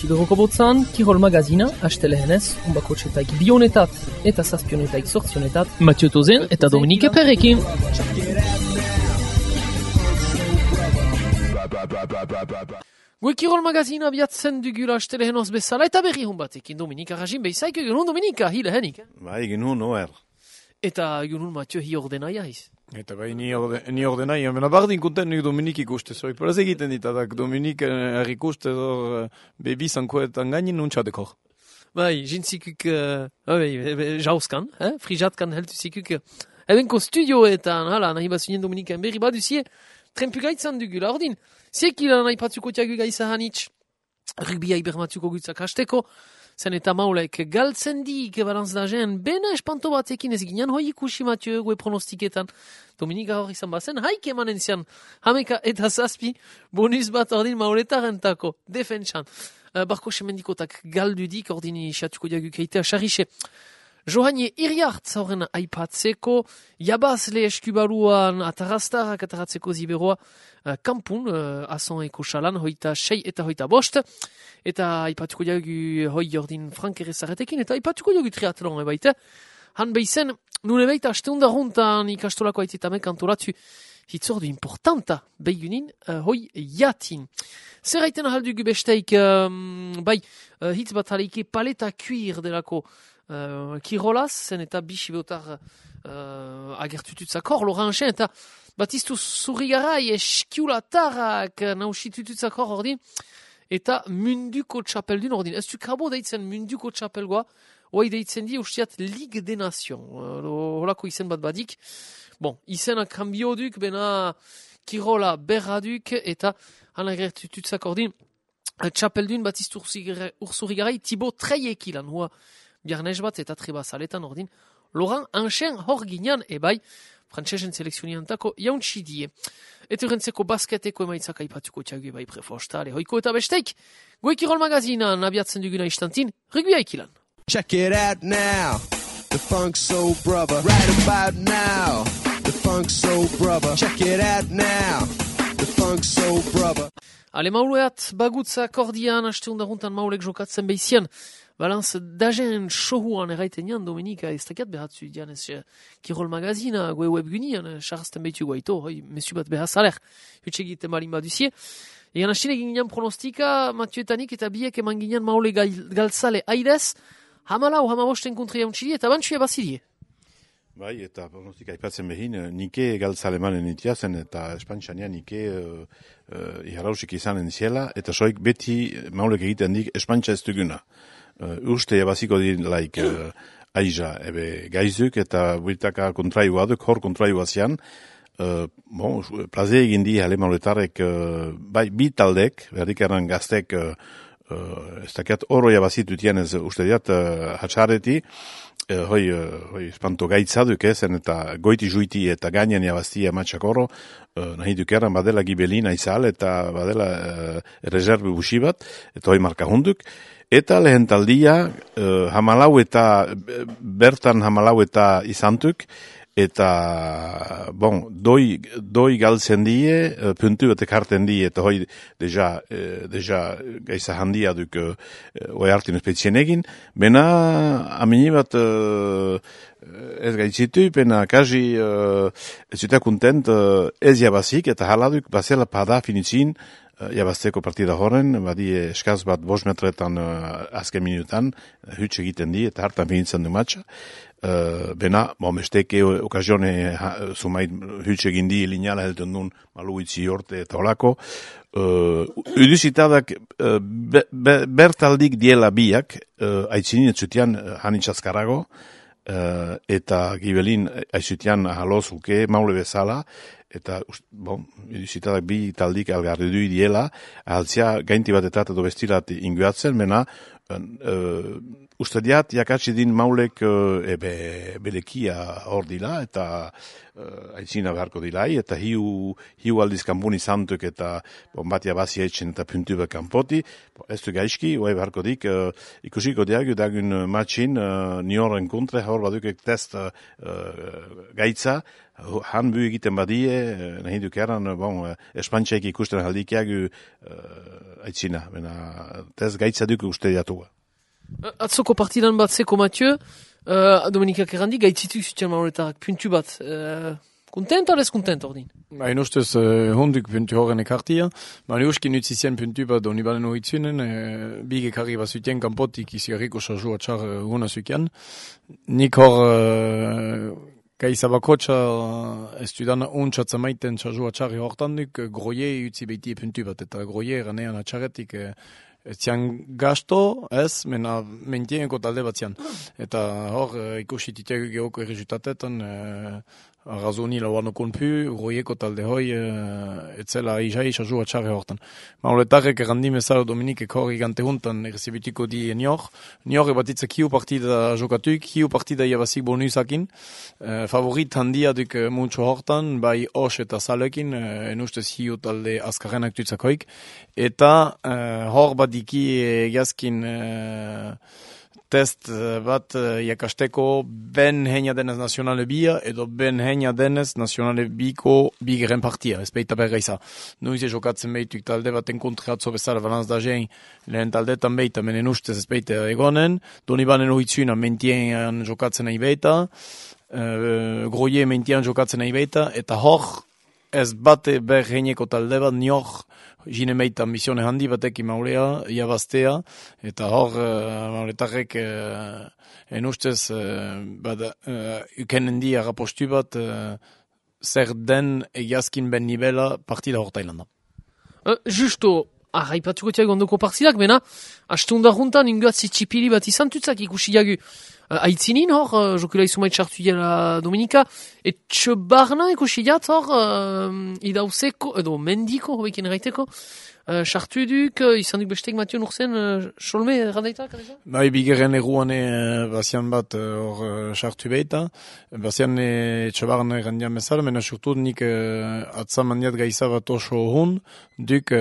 Siberoko botzan, Kirol Magazina, astelehenez, unbakotxetaik bionetat eta zazpionetaik sortzionetat, Mathieu Tozen eta Dominique Perrekin. Gue Kirol Magazina abiatzen dugula astelehenoz bezala eta berri hon batekin Dominika Rajin behizaik egun hon Dominika, hile henik. Bai, egun hon, oer. Eta egun hon Mathieu hi ordenaia hiz. Eta bai, ni ordenaia, mena bardin konten nik Dominik ikuste, zoi paraz egiten ditadak Dominik ikuste bebi zankoetan gainin nuntxadekor. Bai, jintzikuk, jauzkan, frijatkan heltu zikuk, ebenko studioetan, hala, nahi bazunien Dominiken berri baduzie, trenpugaitzan dugula, ordin, ziekila nahi patzuko tiagu gaiza hanitz, rugbia ibermatzuko gutzak hasteko, zen eta maulek galtzen dik balantz da jen, bena espanto batekin ez ginean hoi ikusi Mathieu gue pronostiketan. Dominika hor izan bazen, haik emanen zian, hameka eta zazpi, bonus bat ordin mauletarentako, defentsan. Barko semendikotak galdudik ordin xatuko diagu keitea xarrixe. Johanie Iriart horren aipatzeko, jabazle eskubaluan atarraztarak ataratzeko ziberoa kampun, azon eko xalan, hoita 6 eta hoita 5, eta aipatuko diagu hoi ordin Frank Errezaretekin, eta aipatuko diagu triatlon ebaita. Han behizen, nune baita asteundarruntan ikastolako aitetamek antolatu hitzordu importanta behigunin hoi jatin. Zer haiten ahaldugu besteik, bai, hitz bat aleike paleta cuir delako kirolaz, zen eta bisibotar agertututzakor, loranxen, eta batiztu zurrigarai eskiulatarrak nausitututzakor ordin, eta munduko txapeldun ordin. Ez du kabo deitzen munduko txapelgoa, oai deitzen di ustiat Ligue des Nations. Holako izen bat badik. Bon, izena kambio duk, bena kirola berra duk, eta han agertututzak ordin, txapeldun batiztu urzurrigarai Thibaut Treiekilan, hua biarnez bat eta trebazaletan ordin, Laurent Anchen hor ginean, ebai, frantzesen selekzioniantako jauntsi die. Eta rentzeko basketeko emaitzak aipatuko txagu ebai prefostale, hoiko eta besteik, Gue Kirol Magazinan abiatzen duguna istantin, rugbia ikilan. Check it out now, the Funk Soul Brother, right about now, the Funk Soul Brother, check it out now, the Funk Soul Brother. Ale mauleat bagutza kordian, asteundaruntan maulek jokatzen behizian, balantz dagen sohuan erraiten jan, Dominika, ez takiat behatzu dian ez Kirol Magazina, gue webgunian, charrazten behitu guaito, hoi, mesu bat behazaler, hutsegiten balin baduzie. Egan hastine ginean pronostika, Mathieu etanik eta biek eman ginean maule galtzale aidez, hamalau, hamabosten kontria untxidi, eta bantxua bazidie. Bai, eta pronostika aipatzen behin, nike galtzale manen itiazen, eta espantxania nike iharausik izanen ziela, eta soik beti maulek egiten dik espantxa ez duguna. Uste jabaziko dilaik aiza ebe gaizuk eta buitaka kontraioa duk, hor kontraioa zian. Plaze egin di hale mauletarek, bai, bi taldek, berdikaran gaztek, ez dakiat oro jabazitu tianez uste diat hatxareti, hoi espanto gaitza duk zen eta goiti juiti eta gainean jabaztia matxak oro, nahi dukeran badela gibelin aizal eta badela rezerbi busi bat, eta hoi marka hunduk. Eta lehen taldia, bertan hamalau eta izantuk, eta, doi galtzen die, puntu batek harten die, eta hoi deja gaiza handia duk oi hartin espezien egin, bena amini bat ez gaitzitu, bena kaji ez zuta kontent ez jabazik, eta haladuk bazela pada finitzin, jabazteko partida horren, badi eskaz bat 5 metretan azken minutan, huts egiten di, eta hartan finitzen du matxa. Bena, besteke okazione sumait huts egin di, lineala helten duen maluitzi horte eta olako. Uduzitadak bertaldik diela biak, aitzinin etzutian hanitxazkarago, eta gibelin aizutian halozuke, maule bezala, eta, zitadak bi taldik algarri du diela, altzia gainti bat eta bestilat inguatzen, mena, Uste diat, jakatsi din maulek belekia hor dila, eta aitzina beharko dilai, eta hiu aldiz kanpun izantuk, eta batia bazi etxen eta puntu bat kanpoti, ez du gaizki, oai beharko dik, ikusiko diagu dagun matxin, nioren kontre, hor badukek test gaitza, han bu egiten badie, nahi duk eran, espantxaik ikusten haldikiagu aitzina, test gaitza duk uste diatua. Atzoko partidan bat zeko Mathieu, Dominikak errandi, gaitzituk zuten mauletarrak, puntu bat. Kontent o lez kontent ordin? Hain ustez honduk puntu horren ekartia, baina uskin utzizien puntu bat doni balen horitzunen, bige karri bat zuten kanpotik izigarriko sarzu atxar hona zukian. Nik hor gaizabakotxa ez dudan ontsatzen maiten sarzu atxarri hortan duk, groie utzi behiti puntu bat, eta groie eranean atxarretik etzian gasto, ez, mentieneko talde bat zian. Eta hor, ikusi titiago geoko errezutatetan, arrazoni lauano konpu, groieko talde hoi, etzela izai sazu atxarre hortan. Mauletarrek errandi mezaro Dominikek hor igante huntan errezibitiko di Nior ebatitzek hiu partida jokatuk, hiu partida iabazik bonusakin, favorit handia duk muntxo hortan, bai os eta salekin, enustez hiu talde azkarrenak tutzakoik, eta hor badiki egiazkin test bat jakasteko ben heina denez nazionale bia edo ben heina denez nazionale biko bigeren partia, ez beita berreiza. Nuize jokatzen behituk talde baten kontratzo bezala balanz da jein, lehen taldetan beita menen ustez ez beita egonen, doni banen hoitzuna mentien jokatzen nahi beita, groie mentien jokatzen nahi beita, eta hor ez bate ber heineko talde bat Nior jine meita ambisione handi batekin maulea, iabaztea, eta hor mauletarrek enustez ukenen di arrapostu bat zer den egiazkin ben nivela partida hor Tailanda. Justo, arraipatuko tiago ondoko partidak, bena, astunda juntan ingoatzi txipili bat izan tutzak ikusi jagu. Aitzinin hor, jokula izumait sartu dela Dominika, etxe barna ikusi jat hor, idauzeko, edo mendiko, hobekin erraiteko, sartu duk, izan duk bestek Mathieu Nurzen, solme errandaitak? Bai, bigeren eruane bazian bat hor sartu behita, bazian etxe barna errandian bezala, mena surtu nik atzamandiat gaiza bat oso hon, duk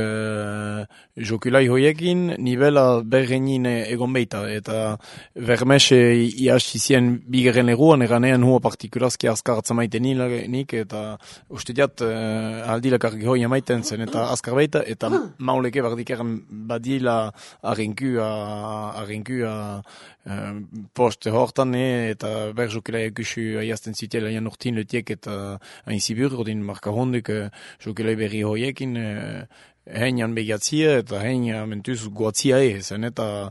jokulai hoiekin, nivela berrenin egon behita, eta vermese iasizien bigeren eruan, eranean hua partikurazki azkar atzamaiten nik, eta uste diat aldilakarki hoi amaiten zen, eta azkar baita, eta mauleke bardikeran badila arrinkua poste hortan, eta berjokela ekusu aiazten zitela jan urtin letiek, eta hain zibur, ordin marka honduk jokela berri hoiekin, heinan begiatzia eta heina mentuz goatzia zen, eta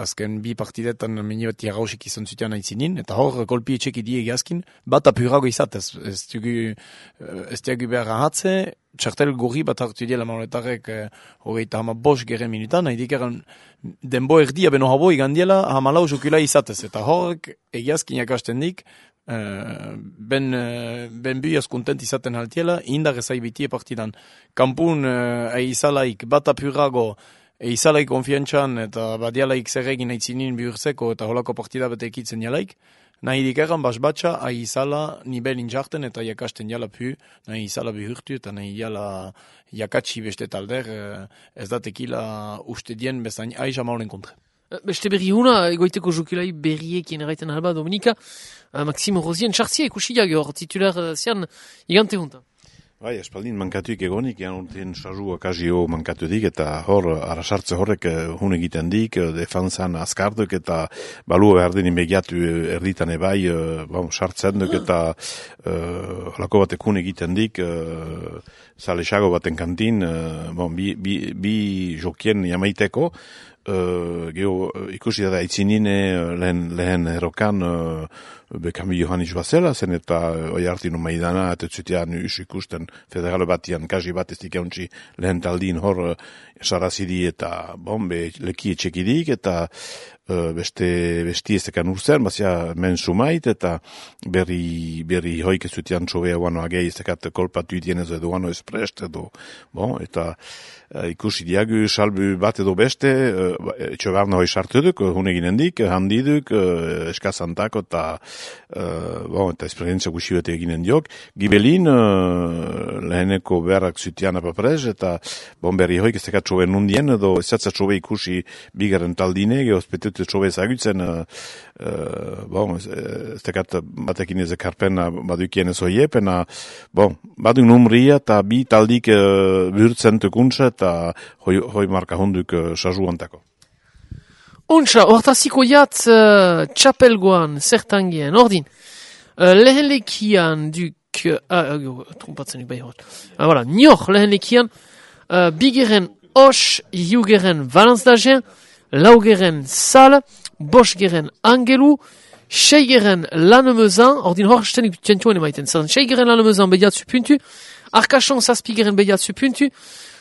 azken bi partidetan meni bat jarrausik izan zuten aitzinin, eta hor kolpi etxeki die egiazkin, bat apurago izatez, ez dugu behar ahatze, txartel gorri bat hartu dela mauletarrek hogeita hama bost geren minutan, nahi dikeran denbo erdia beno haboi gandiela hamalau jokula izatez, eta horrek egiazkin jakasten dik, ben biaz kontent izaten haltiela, indar ezai bitie partidan. Kampun eizalaik bat apurago, eizalaik konfiantzan eta badialaik zerregin aitzinin bihurtzeko eta holako partida bat ekitzen jalaik, nahi dikeran basbatxa aizala nibel injarten eta jakasten jala pu, nahi izala bihurtu eta nahi jala jakatsi beste talder, ez datekila uste dien bezain aiza maulen kontre. Beste berri huna, egoiteko jokulai berriekien erraiten alba Dominika, Maxime Rosien txartzia ikusiak hor titular zian igante juntan. Bai, espaldin mankatuik egonik, ean urtean sarru akazio mankatu dik, eta hor, arrasartze horrek hun egiten dik, defensan azkarduk, eta balua behar den inbegiatu erditan ebai, sartzen duk, eta lako batek hun egiten dik, zalesago baten kantin, bi jokien jamaiteko, ikusi da aitzinin lehen errokan Bekami Johannis bazela, zen eta oi hartin maidana, eta zutean ikusten federale batian, kaji bat ez dikauntzi lehen taldin hor sarazidi eta leki etxekidik, eta besti ez dekan urzen, bazia men sumait, eta berri hoik ez zutean txobea guano agei ez dekat kolpatu itienez edo guano esprest edo, eta ikusi diagu salbu bat edo beste, etxogarna hoi sartu duk, hune ginen dik, handi duk, eskazantako eta eta esperientzia guxi bete eginen diok. Gibelin, leheneko beharrak zutian apaprez, eta berri hoik ez tekat txobe nundien, edo ez zatza txobe ikusi bigaren taldine, geospetut txobe ezagutzen, ez tekat batekin ez ekarpena badukien ez hoie, pena, baduk numria eta bi taldik bihurtzen tukuntza, eta hoi marka hunduk sasu antako. Untsa, hortaziko jat txapelgoan, zertangien, ordin, lehen lekian duk, trompatzen bai hor, voilà, nior lehen lekian, bigeren os, iugeren Valence d'Agen, laugeren Sal, bosgeren Angelu, seigeren Lannemezan, ordin hor stenik txentuen emaiten, seigeren Lannemezan bediatzu puntu, Arcachon zazpigeren bediatzu puntu,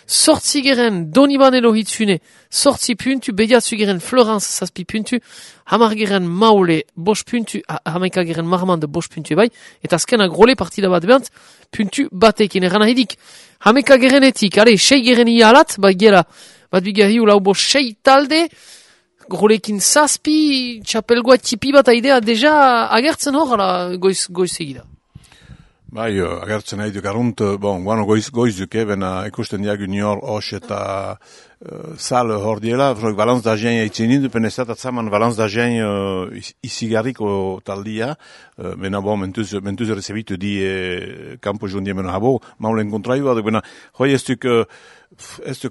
sortzigeren Doniban Elohitzune, sortzi puntu, bediatzugeren Florence zazpi puntu, hamargeren Maule bos puntu, hamaikageren Marmande bos puntu bai, eta azkenak role partida bat behant, puntu batekin eran ahidik. Hamekagerenetik, seigeren ialat, bat bigarriu lau bos sei talde, rolekin zazpi, txapelgoa tipi bat aidea deja agertzen hor, goiz egida. Bai, agertzen nahi duk arunt, guano goiz duke, bena ikusten diagu nior os eta Sal hor diela, Valence d'Agen eitzen nindu, penezat atzaman Valence d'Agen izigarriko taldia, bena mentuz rezebitu di kampo jondien bena habo, maulen kontraioa, bena hoi ez duk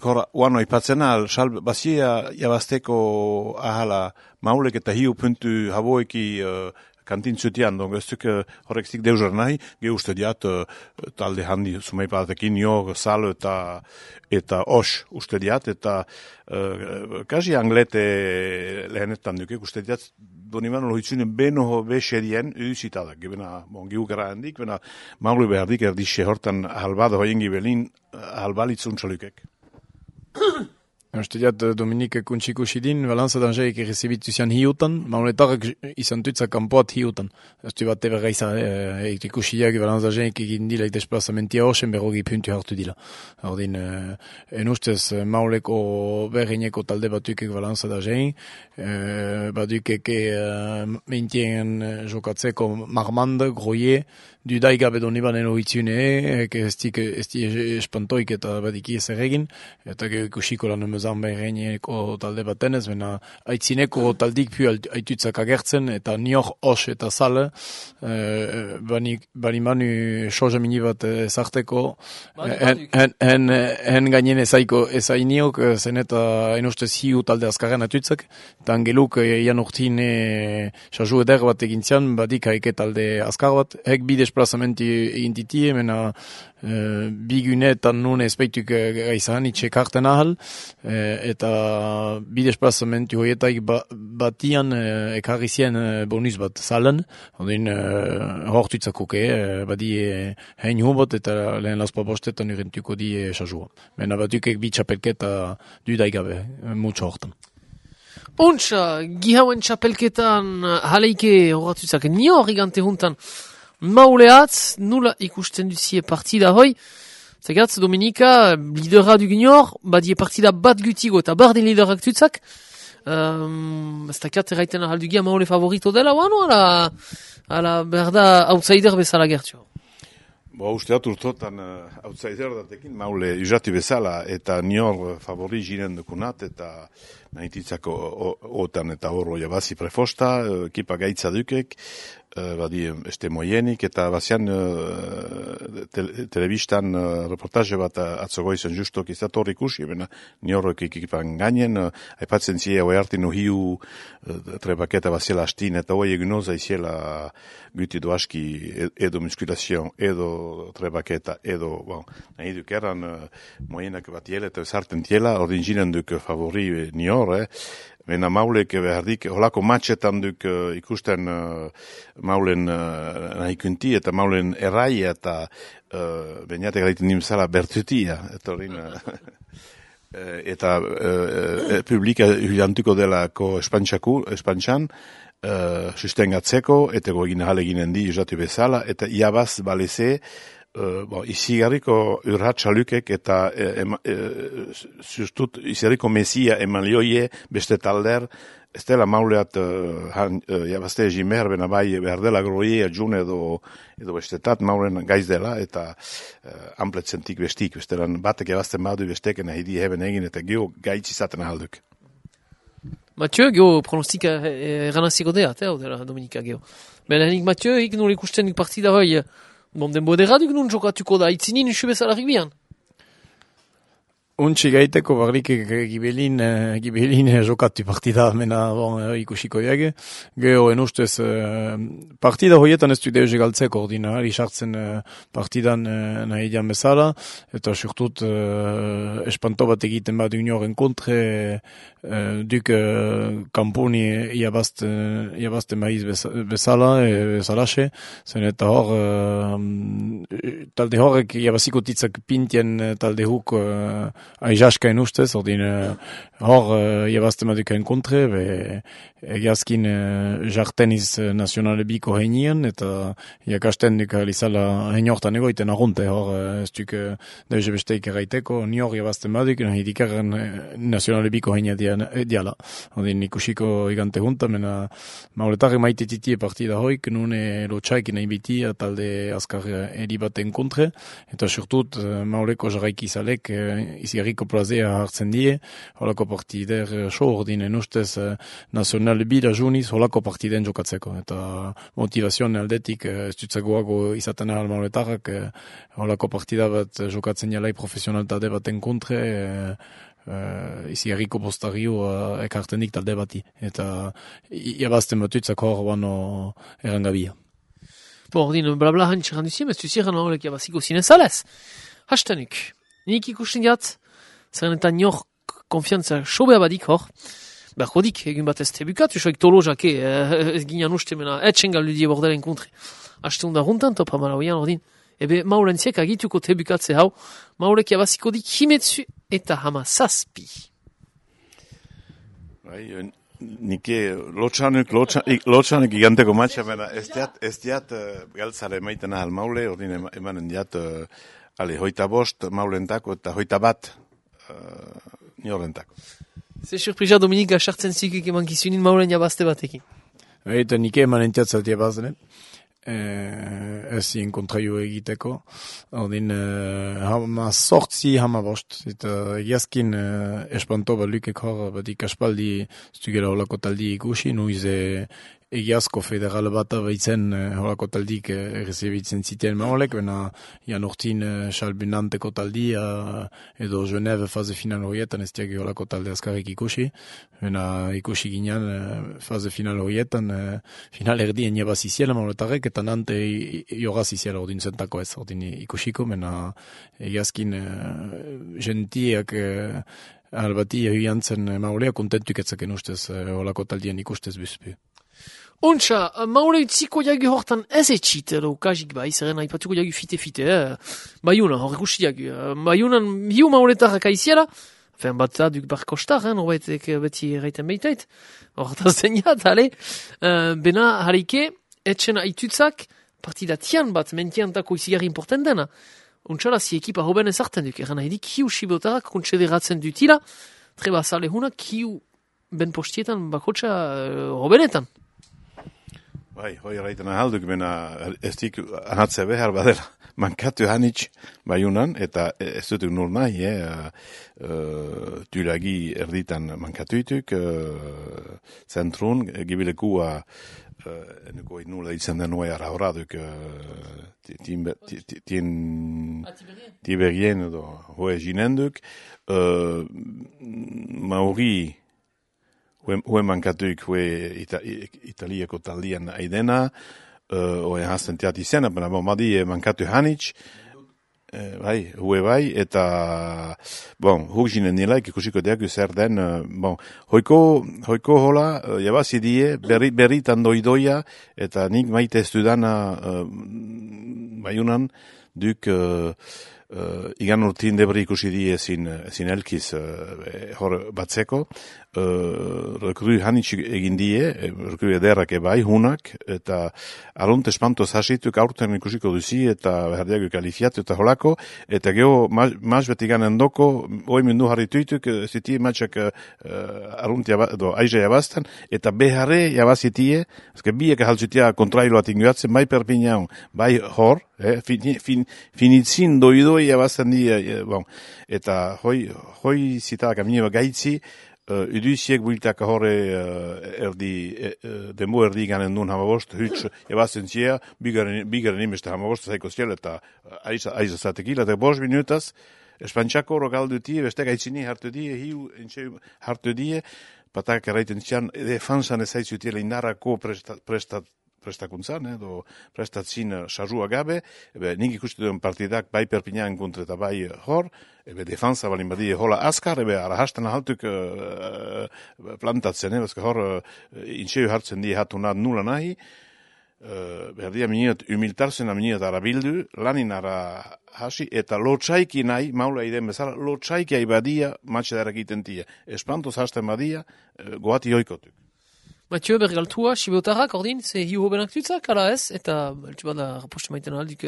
hor guano ipatzena, sal basia jabazteko ahala maulek eta hiu puntu haboeki kantin zutian, ez duk horrek zik deuzar nahi, ge uste diat talde handi sumei patekin nio, Sal eta os uste diat, eta kasi anglete lehenetan duke, uste diat Doniban lohitzune beno beserien udusitadak, bena giu gara handik, bena maulu behardik erdixe hortan halbada hoien gibelin halbalitzun txalukek. Uste diat Dominike kuntsikusi din, Valence d'Agen errezibitu zian hiutan, mauletarrak izan tutzak kanpoat hiutan. Uste bat eberra izan, ikusi diak Valence d'Agen egin dila desplazamentia hosen berrogi puntu hartu dila. Ordin, en ustez mauleko berreineko talde batukek Valence d'Agen, batukek meintien jokatzeko Marmande, Groyer, dudai gabe Doniban Elohitzune, ez di espantoik eta badiki ez erregin, eta ikusiko lan emezan berreineko talde batenez, bena aitzineko taldik pu aitutzak agertzen, eta nior os eta Sal, bani manu soja mini bat ezarteko, en gainen ezainiok, zen eta enostez hiu talde azkarren atutzak, eta angeluk ian urtin sasu eder bat egintzian, badik haike talde azkar bat, hek bi desplazamenti egintitie, mena bigunetan nun ezpeituk gaizan, itxekarten ahal, eta bi desplazamentu hoietaik batian ekarri zien bonus bat Salen, odin hortuitzakoke, badi hein hubot eta lehen laspa bostetan urentuko di sasua. Mena batukek bi txapelketa dudaigabe, mutxo hortan. Untsa, gihauen txapelketan haleike horatutzak nio horrigante juntan mauleatz, nula ikusten duzie partida hoi, zegatz Dominika, lidera du ginor, badie partida bat gutigo eta barden liderak tutzak, ez dakat erraiten ahaldugia maule favorito dela, oano, ala berda outsider bezala gertio. Usteat urtotan outsider datekin maule usatu bezala eta nior favori ginen dukunat eta nahititzako otan eta horro jabazi prefosta, ekipa gaitza dukek, badi este moienik eta bazian telebistan reportaje bat atzogoizen justok izator ikusi, bena niorrok ekipan gainen, aipatzen zia hoi hartin hiu trebaketa baziela astin eta hoi eginoza iziela guti doaski edo muskulazion, edo trebaketa, edo, nahi duk eran moienak bat jela eta zarten tiela, ordin ginen duk favori nior, Bena maulek behardik, holako matxetan duk ikusten maulen nahikunti eta maulen errai eta beniatek gaitin nimzala bertutia. Eta publika hilantuko delako espantxan, sustengatzeko, eta goegin haleginen di usatu bezala, eta iabaz baleze izigarriko urratxalukek eta zustut izigarriko mesia eman lioie beste talder, ez dela mauleat jabazte egimer, bena bai behar dela groie june edo bestetat maulen gaiz dela, eta ampletzentik bestik, bestelan batek jabazten badu besteken ahidi heben egin eta geho gaitz izaten ahalduk. Mathieu, geho pronostika eranaziko deat, odera Dominika geho. Belenik Mathieu, ik nol ikusten partida hoi, denbo edera duk nun jokatuko da, itzinin usu bezala rigbian. Untsi gaiteko barrik gibelin jokatu partida mena ikusiko diage. Geho ustez partida hoietan ez du deuze galtzeko ordinari sartzen partidan nahi dian bezala, eta surtut espanto bat egiten bat unioren kontre duk kampuni iabazten maiz bezala, bezalaxe, zen eta hor talde horrek iabaziko titzak pintien talde huk aizaskain ustez, ordin hor iabazten madukain kontre, egiazkin jarteniz nazionale biko heinian, eta iakasten duk alizala heiniortan egoiten arrunte, hor ez duk deuze besteik erraiteko, nior iabazten maduk, nahi dikarren nazionale biko heinia diala. Ordin ikusiko igante junta, mena mauletarre maite titie partida hoik, nune lotxaik nahi biti, talde azkar eribaten kontre, eta surtut mauleko jarraiki izalek, izigarriko plazea hartzen die, holako partider so ordinen ustez nazionale bida juniz holako partiden jokatzeko. Eta motivazioan aldetik ez dutzagoago izaten ahal mauletarrak holako partida bat jokatzen jalai profesionaltate baten kontre, izigarriko postario ekartenik talde bati. Eta iabazten batutzak hor bano erangabia. Ordin, blabla hantxe randuzien, ez duziren horrek jabaziko zinezalez. Hastanuk, nik ikusten diat, zeren eta nior konfiantza sobea badik hor, berkodik, egin bat ez tebukat, usoik tolozake, ez ginean uste mena, etxengal ludie bordelen kontre. Haste hunda runtan, topa malauian, ordin, ebe maulenziek agituko tebukatze hau, maulek jabaziko dik himetzu eta hama zazpi. Nike lotxanuk iganteko matxa, bena ez diat galtzare maiten ahal maule, ordin emanen diat hoita bost maulentako eta hoita bat niorentako. Ze surprisa Dominika sartzen zikik eman kizunin maulen jabazte batekin. Eta nike emanen tiatzat jabazdenet. Ez zien kontraio egiteko. Ordin hama sortzi hama bost. Eta egiazkin espanto balukek hor batik aspaldi zugela holako taldi ikusi. Nuize egiazko federal bat abaitzen holako taldik errezibitzen zitean maolek. Bena jan urtin salbinanteko taldia edo Geneve faze final horietan ez diak holako talde azkarrik ikusi. Bena ikusi ginean faze final horietan final erdien jabaziziela maoletarek eta nante jogaziziela ordin zentako ez. Ordin ikusiko, bena egiazkin gentiak albati egiantzen maolea kontentuk etzaken ustez holako taldien ikustez bizpi. Ontsa, maule utziko jagu hortan ez etxit, edo kajik bai, zeren haipatuko jagu fite-fite, Baiuna, hor ikusi jagu. Baiunan hiu mauletarrak aiziela, fen bat da duk barkostar, norbaitek beti erraiten behitait, hortaz deniat, bena harike, etxen aitutzak, partida tian bat, mentiantako izigarri importen dena. Ontsala, si ekipa hoben ezarten duk, eran haidik hiu sibotarak kontsederatzen dutila, treba zale hunak hiu ben postietan bakotxa hobenetan. Bai, hoi erraiten ahalduk, bena ez dik ahatze behar badela. Mankatu hanitz Baiunan, eta ez dutuk nur nahi, Tulagi erditan mankatuituk, zentrun, gibilekua, eneko nula itzen den noa arauraduk, Tiberien edo hoe jinenduk, Mauri, hue mankatuik hue italiako taldian aidena, hue hasten teat izena, bena madi mankatu hanitz, hue bai, eta, huk jinen nilaik ikusiko deaku zer den, hoiko hola, jabazidie, berritan doidoia, eta nik maite ez dudana Baiunan, duk igan urtin debri ikusi die ezin elkiz hor batzeko, rekru hanitxik egin die, rekru ederrak ebai, hunak, eta arunt espantoz hasituk aurten ikusiko duzi, eta berdiago kalifiatu eta holako, eta geho maz beti ganen doko, hoi mundu harrituituk, ziti matxak arunt aize jabazten, eta beharre jabazitie, ezke biek haltzutia kontrailoat inguatzen, bai perpinaun, bai hor, finitzin doidoi jabazten di, bon, eta hoi zitadak amine gaitzi, Uduziek builtak horre denbo erdi ganen duen hamabost, huts ebazen zia, bigaren imeste hamabost zaiko ziel, eta aiza zatekila, eta 5 minutaz, espantxako horo galdu die, beste gaitzini hartu die, hiu entxe hartu die, patak erraiten zian, defansan ezaizutiela indarako prestakuntzan, edo prestatzin sarrua gabe, nik ikustu duen partidak bai Perpignan kontra eta bai hor, defansa balin badie hola askar, arahastan ahaltuk plantatzen, bezka hor intxeu hartzen die hatu nula nahi, berdia miniot humiltarzen miniot arabildu, lanin ara hasi, eta lotxaiki nahi, maula iden bezala, lotxaiki aibadia matxedarak egiten tia. Espantoz hasten badia, goati oikotuk. Mathieu bergaltua, Sibeotarrak, ordin, ze hiu hobenak tutzak, ala ez, eta beltsu bada raposte maiten aldik,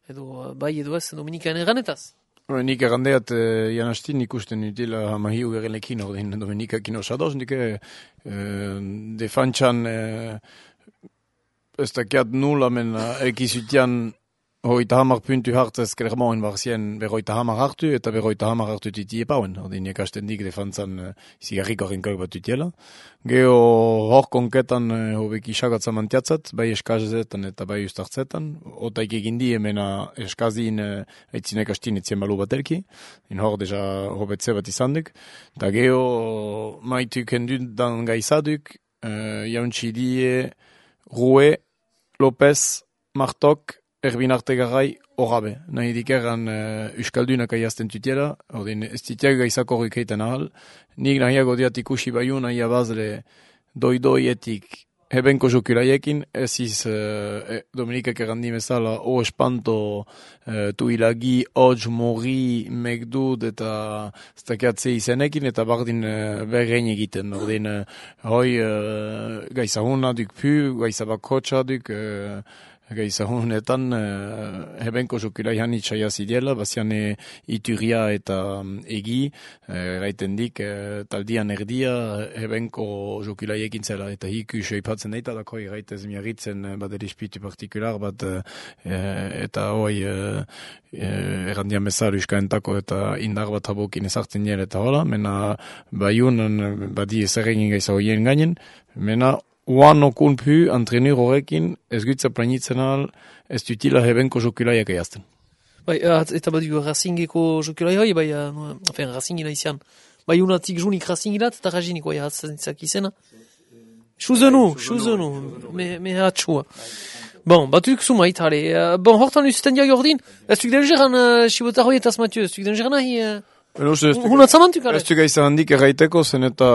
edo bai edo ez, Dominikaen eganetaz. Nik errandeat janastin ikusten utila hama hiu gerelekin, ordin, Dominikak sadoz, nik defantxan ez dakiat nula, men ekizutian hoita hamar puntu hartzez Clermontin barzien berroita hamar hartu, eta berroita hamar hartu tutie pauen. Ordin, ekasten dik defantzan zigarriko rinkak bat tutiela. Geo hor konketan hobek isagatza mantiatzat, bai eskazetan eta bai ustartzetan. Otaik egin die, mena eskazin eitzin ekastin etzien balu batelki. In hor deja hobetze bat izan duk. Ta geo maituk hendut dan gaizaduk, jauntsi die Rue, Lopez, Martok, Erbin Artegarai, Orabe. Nahi dikerran Euskaldunak aiazten tutiela, ordin ez titiak gaizako horrik heiten ahal. Nik nahiago diat ikusi baiu, nahi abazle doidoietik hebenko jokulaiekin, ez iz Dominikak errandi mezala, o espanto tuilagi, hotz, mori, megdud, eta ztakiatze izenekin, eta bardin berrein egiten. Ordin, hoi gaizahuna duk pu, gaizabak hotxa duk, gaizahunetan hebenko jokulai hanitza jazidiela, bazian Ituria eta Egi, gaiten dik taldian erdia hebenko jokulai ekin zela, eta hiku seipatzen daita dako gaitez miarritzen bat erispitu partikular bat, eta hoi errandian bezala uskaentako eta indar bat habokin ezartzen nire eta hola, mena baiunan badi ezerregin gaiza hoien gainen, mena Oan okun pu, antrenur horrekin, ez gutza planitzen al, ez dutila hebenko jokulaiak eiazten. Bai, eta badu Racingeko jokulai hoi, bai, Racingina izan. Bai, unatik junik Racingilat, eta raziniko jahatzak izena. Chuzenu, me hatxua. Bon, batuk sumait, hale. Bon, hortan usten diag ordin, ez duk delgeran Sibotar hoietaz Mathieu, ez duk delgeran nahi... Hunatzamantuk, ale? Ez du gaizan handik erraiteko, zen eta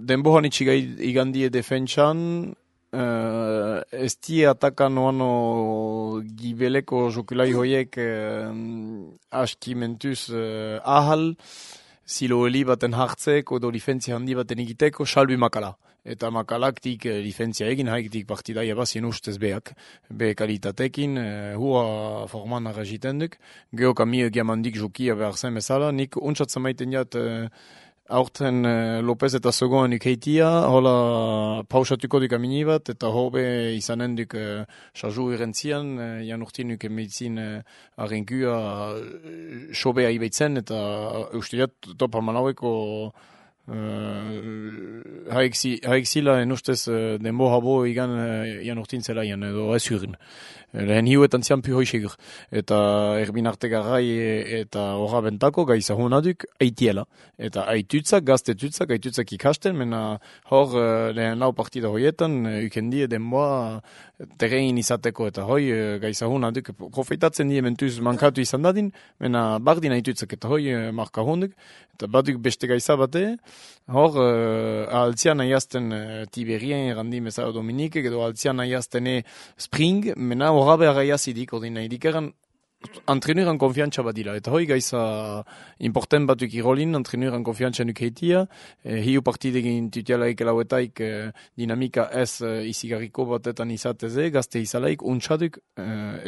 denbohan itxigai igandie defentsan, ez die atakan oano gibeleko jokulai hoiek aski mentuz ahal, zilo heli baten hartzeko edo lifentzia handi baten egiteko, salbi makala. Eta makalaktik lifentzia egin, haiktik partidaia bazien ustez beak, be kalitatekin, hua forman arraziten duk. Geo kamio giamandik jokia behar zen bezala, nik untsatzen maiten jat aurten Lopez eta Sogoan ikeitia, hola pausatuko duk amini bat, eta hobe izanen duk sarju irentzian, jan urtin duk emeitzin arrenkua sobea ibeitzen, eta ustiat topa manaueko haik zila enustez denbo habo igan jan urtin zelaian edo ez hurin. Lehen hiuetan zian pu hoisegur. Eta Erbin Artegarai eta horra bentako gaizahunaduk aitiela. Eta aitutzak, gaztetutzak, aitutzak ikasten, mena hor lehen lau partida hoietan ukendie denboa terrein izateko eta hoi gaizahunaduk profitatzen die mentuz mankatu izan dadin, mena bardin aitutzak eta hoi markahunduk. Eta baduk beste gaiza bate, hor altzian aiazten Tiberien errandi mezara Dominikek, edo altzian aiazten Spring, mena horra behar aiazidik, ordin nahi dikeran Antrenuran konfiantza bat dira, eta hoi gaiza important batuk irolin, antrenuran konfiantza nukeitia, hiu partidegin tutialaik elauetaik dinamika ez izigarriko batetan izateze, gazte izalaik, untsaduk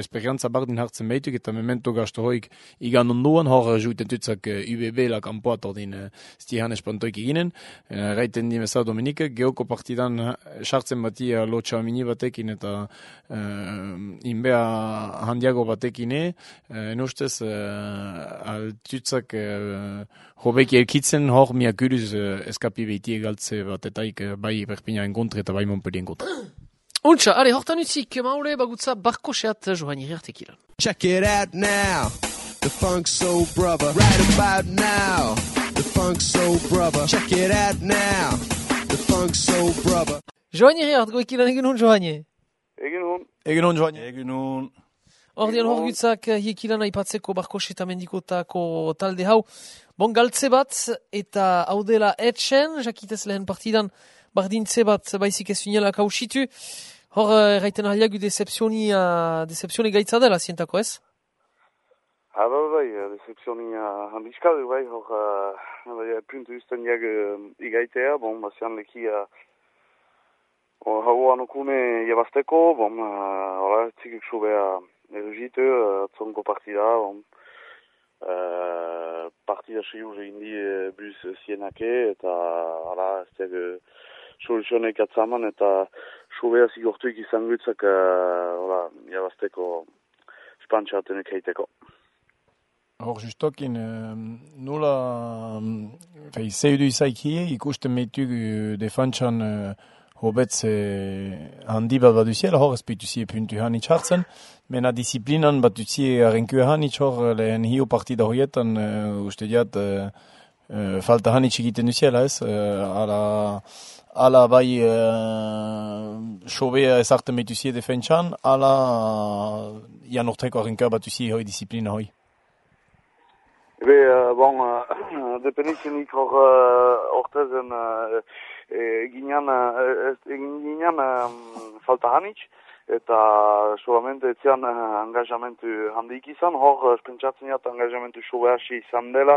esperientza bardin hartzen behituk, eta memento gasto hoik igan onduan, hor juiten tutzak UBB la kampoat ordin stihan espantoik iginen, raiten dimesa Dominike, geoko partidan sartzen batia lotxa mini batekin eta inbea handiago batekine, nustez altutzak hobeki elkitzen hor miakuruz eskapi behiti egaltze batetaik bai Perpignan kontre eta bai Montpellien kontre. Untxa, are, hortan utzik, maule bagutza barkoseat joan irartekilan. Check it out now, the Funk Soul Brother. Right about now, the Funk Soul Brother. Check it out now, the Funk Soul Brother. Joan irart, goekilan egin hon joan. Egin hon joan. Egin hon. Ordean horgutzak hiekilan aipatzeko barkos eta mendikotako talde hau. Bon galtze bat eta hau dela etxen, jakitez lehen partidan bardintze bat baizik ez unela kausitu. Hor erraiten ahaliagu decepzioni gaitza dela zientako ez? Bai, decepzioni handizkadu bai, hor puntu usten jag igaitea, bazian lekia hau anokune jabazteko, txikik sobea erugite, zonko partida, partida seiur indi bus zienake, eta ez diag soluzionek atzaman, eta sobea zigortuik izan gutzak jabazteko espantxatenek heiteko. Hor justokin, nula zeidu izaikie, ikusten meituk defantxan hobetze handi bat baduziela, hor ezpeituzie puntu hanitz hartzen, mena disiplinan batuzie arrenkue hanitz hor lehen hiu partida horietan uste diat falta hanitz egiten duziela ez, ala bai sobea ezarten beituzie defentsan, ala janorteko arrenkua batuzie hoi disiplina hoi. Dependizionik hor ortezen ginean falta hanitz, eta solamente etzian engajamentu handik izan, hor pentsatzen jat engajamentu sobeasi izan dela,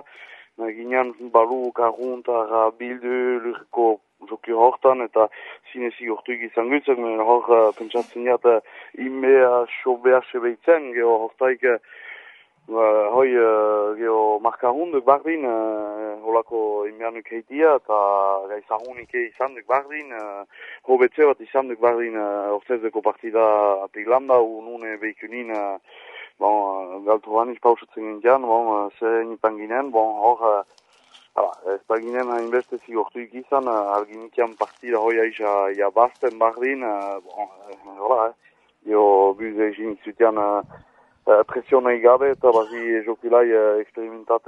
ginean balu, karuntar, bildu, lurko joki hortan, eta zinezi hortuik izan gutzak, hor pentsatzen jat inbea sobeasi behitzen, geho hortaik hoi geho markarunduk bardin, holako inbianuk heitia, eta gaizahunik izan duk bardin, hobetze bat izan duk bardin ortezeko partida Piglanda, unune behikunin, galtu haniz pausatzen gintian, zer nipan ginen, hor, ez da ginen hainbeste zigortuik izan, arginikian partida hoi aiza jabazten bardin, geho buze egin zutian, presiona igabe eta bazi jokilai eksperimentat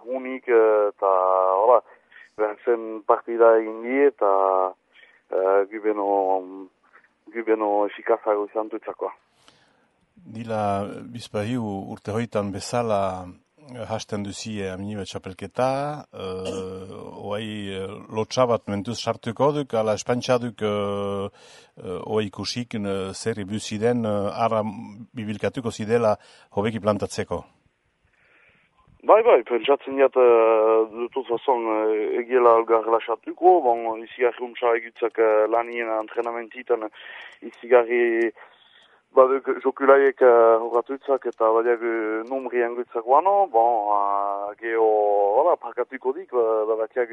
unik eta zen partida egin di eta gubeno efikazago izan dutzakoa. Dila bizpahiu urte hoitan bezala hasten duzie aminibe txapelketa, oai lotxabat mentuz sartuko duk, ala espantxaduk oai ikusik zer ibuziden ara bibilkatuko zidela hobeki plantatzeko. Bai, pentsatzen jat dutuz fazon egiela algar relaxatuko, izigarri untsa egutzak lanien antrenamentitan izigarri baduk jokulaiek horatutzak eta badiak numrien gutzak guano, geho parkatuko dik, badakiak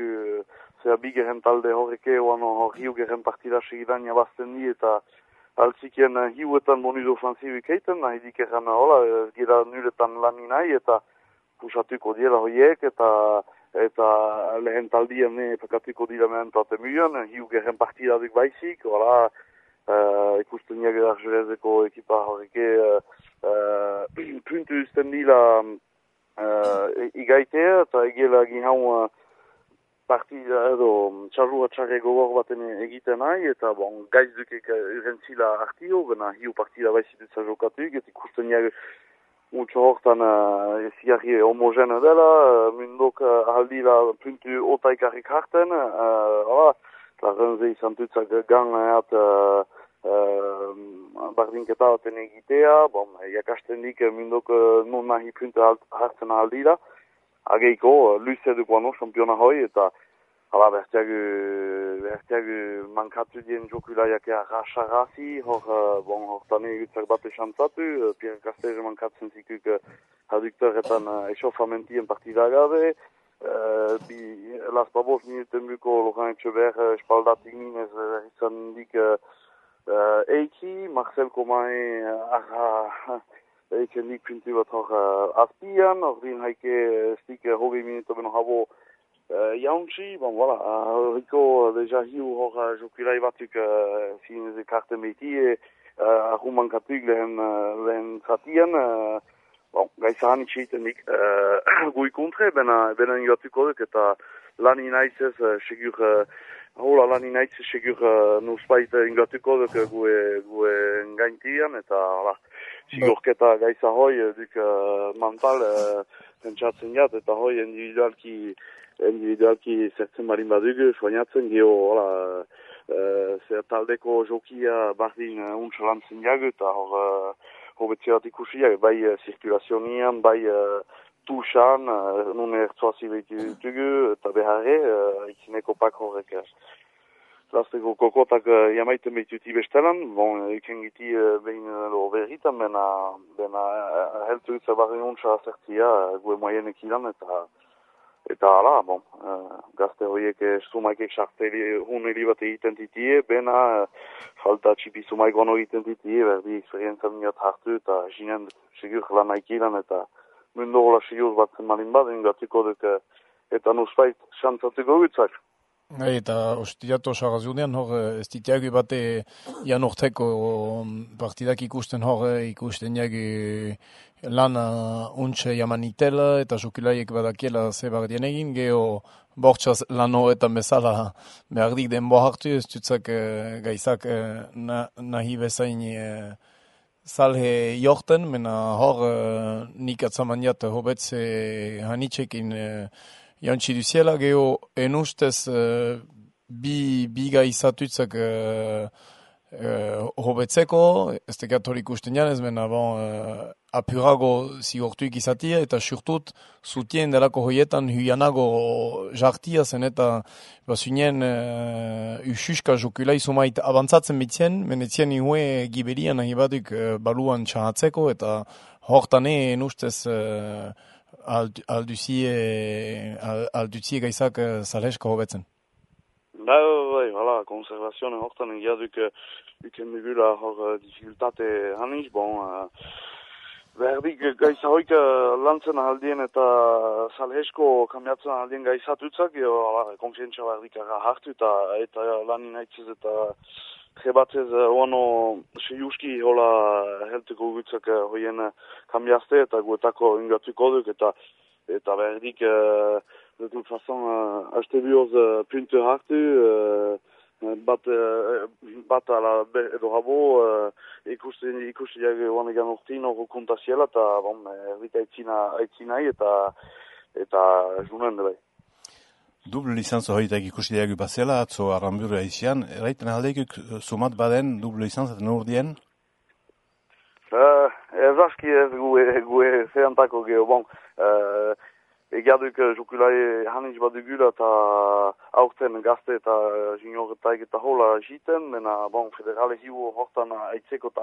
zera bigeren talde horreke, hor hiugeren partida segidan jabazten di eta altzikien hiuetan bonudu ofensibik eiten, nahi dikeren gira nuletan lanin nahi eta pusatuko dira horiek eta lehen taldien parkatuko dira mentate muen, hiugeren partida dik baizik, ikusten jager arjurezeko ekipa horreke puntu usten dila igaitea eta egela ginhau partida edo txarrua txarre gogor baten egiten nahi eta gaiz dukek urentzila artio, bena hiu partida baizitutza jokatuk eta ikusten jager mutxo hortan ezigarri homogene dela, mundok ahaldila puntu otaikarrik harten, eta renze izan tutzak gan bardinketa baten egitea, jakasten dik mindok non nahi punte hartzen aldira, ageiko luze dukoano championa hoi, eta hala bertiagu mankatu dien jokulaiak rasarazi, hortan egutzak bat esantzatu, Pierre Castells mankatzen zikuk aduktoretan esofamentien partida gabe, Las Babos minuten buko Laurent Etxeber espaldatik minez izan dik Eiki, Marcel Komai eiken dik puntu bat hor azpian, ordin haike stik hogei minuto beno habo jauntzi, voilà, hiko deja hiu hor jokulai batuk zinez karten beti, arruman katuk lehen zatian, gaizahan itxeiten dik gui kontre, benen joatuko duk, eta lani naizez segur, lani naizez segur nuspait ingatuko duk gue ngaintian, eta sigurketa gaiza hoi duk mental pentsatzen jat, eta hoi individualki zertzen barin badugu, soinatzen geho, taldeko jokia bardin untsalantzen jagu, eta hobetzeat ikusiak, bai zirkulazionian, bai tuxan, nun ertzoazi behitugu, eta beharre, ikineko pak horrek. Lasteko kokotak jamaiten behituti bestelan, iken giti behin berritan, bena heltu utza barren untsa zertzia, gue moienek ilan, eta hala, gazte horiek sumaikek sarteli huneli bat egiten ditie, bena falta txipi sumaik ono egiten ditie, berdi eksperientzia minat hartu, eta jinen segur lan aikilan, eta mundu hola segur batzen malin bat, ingatuko duk, eta nuspait xantzatuko gutzak. Eta ostiatu osagazunean hor ez ditiagu bate janorteko partidak ikusten ikusten jagu lana untxe jamanitela eta jokulaiek badakiela zebardien egin, geho bortxaz lan horretan bezala behardik denbo hartu, ez dutzak gaizak nahi bezain salhe jorten, mena hor nik atzaman jat hobetze hanitzekin jantzi duziela, geho enustez bi gaizatutzak hobetzeko, ez tekatorik ikusten janez, mena apurago zigortuik izatia, eta surtut zutien delako hoietan huianago jartia zen, eta basunien ususka jokulai sumait abantzatzen bitzien, menetzien ihue giberian nahi baduk baluan txahatzeko, eta hortane enustez alduzie gaizak zaleska hobetzen. Bai, hala, konservazioen hortan egiaduk iken dugula hor dificultate haniz, berdik gaiza hoik lantzen ahaldien eta salhesko kambiatzen ahaldien gaizatutzak, konfientzia berdik hartu eta lanin haitzez eta jebatzez oano seiuski hola heltuko gutzak hoien kambiazte eta guetako ingatuko duk eta berdik de toute façon aste bioz punte hartu bat ala edo habo ikusi jage oanegan urtin hor kontaziela eta erdik aitzinai eta junen bai. Double licenz horietak ikusi diagu bazela, atzo arramburu aizian, eraiten aldeikuk sumat baden double licenz eta nordien? Ez aski ez gue zehantako geho, egiaduk jokulai haniz badugula eta aurten gazte eta junioretaik eta hola jiten, mena federale hiu hortan aitzeko eta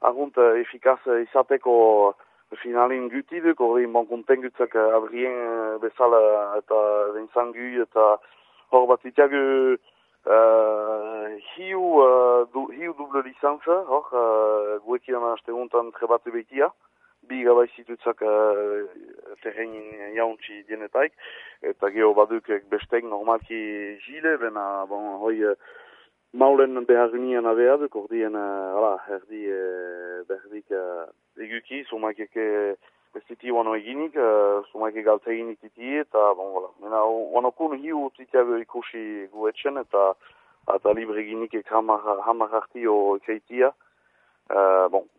argunt efikaz izateko finalin gutiduk, horrein kontengutzak Adrien bezala eta Vincent eta hor bat itiagu hiu double licenza, hor guekian haste untan trebatu behitia, bi gabaizitutzak terrenin jauntzi dienetaik, eta geho baduk bestek normalki jile, bena hoi maulen beharunian abeaduk, ordien erdi berdik eguki, sumaikeke ez diti wano eginik, sumaike galtza eginik diti, eta mena wanokun hiu titiago ikusi guetxen, eta libre eginik hamar hartio ekeitia,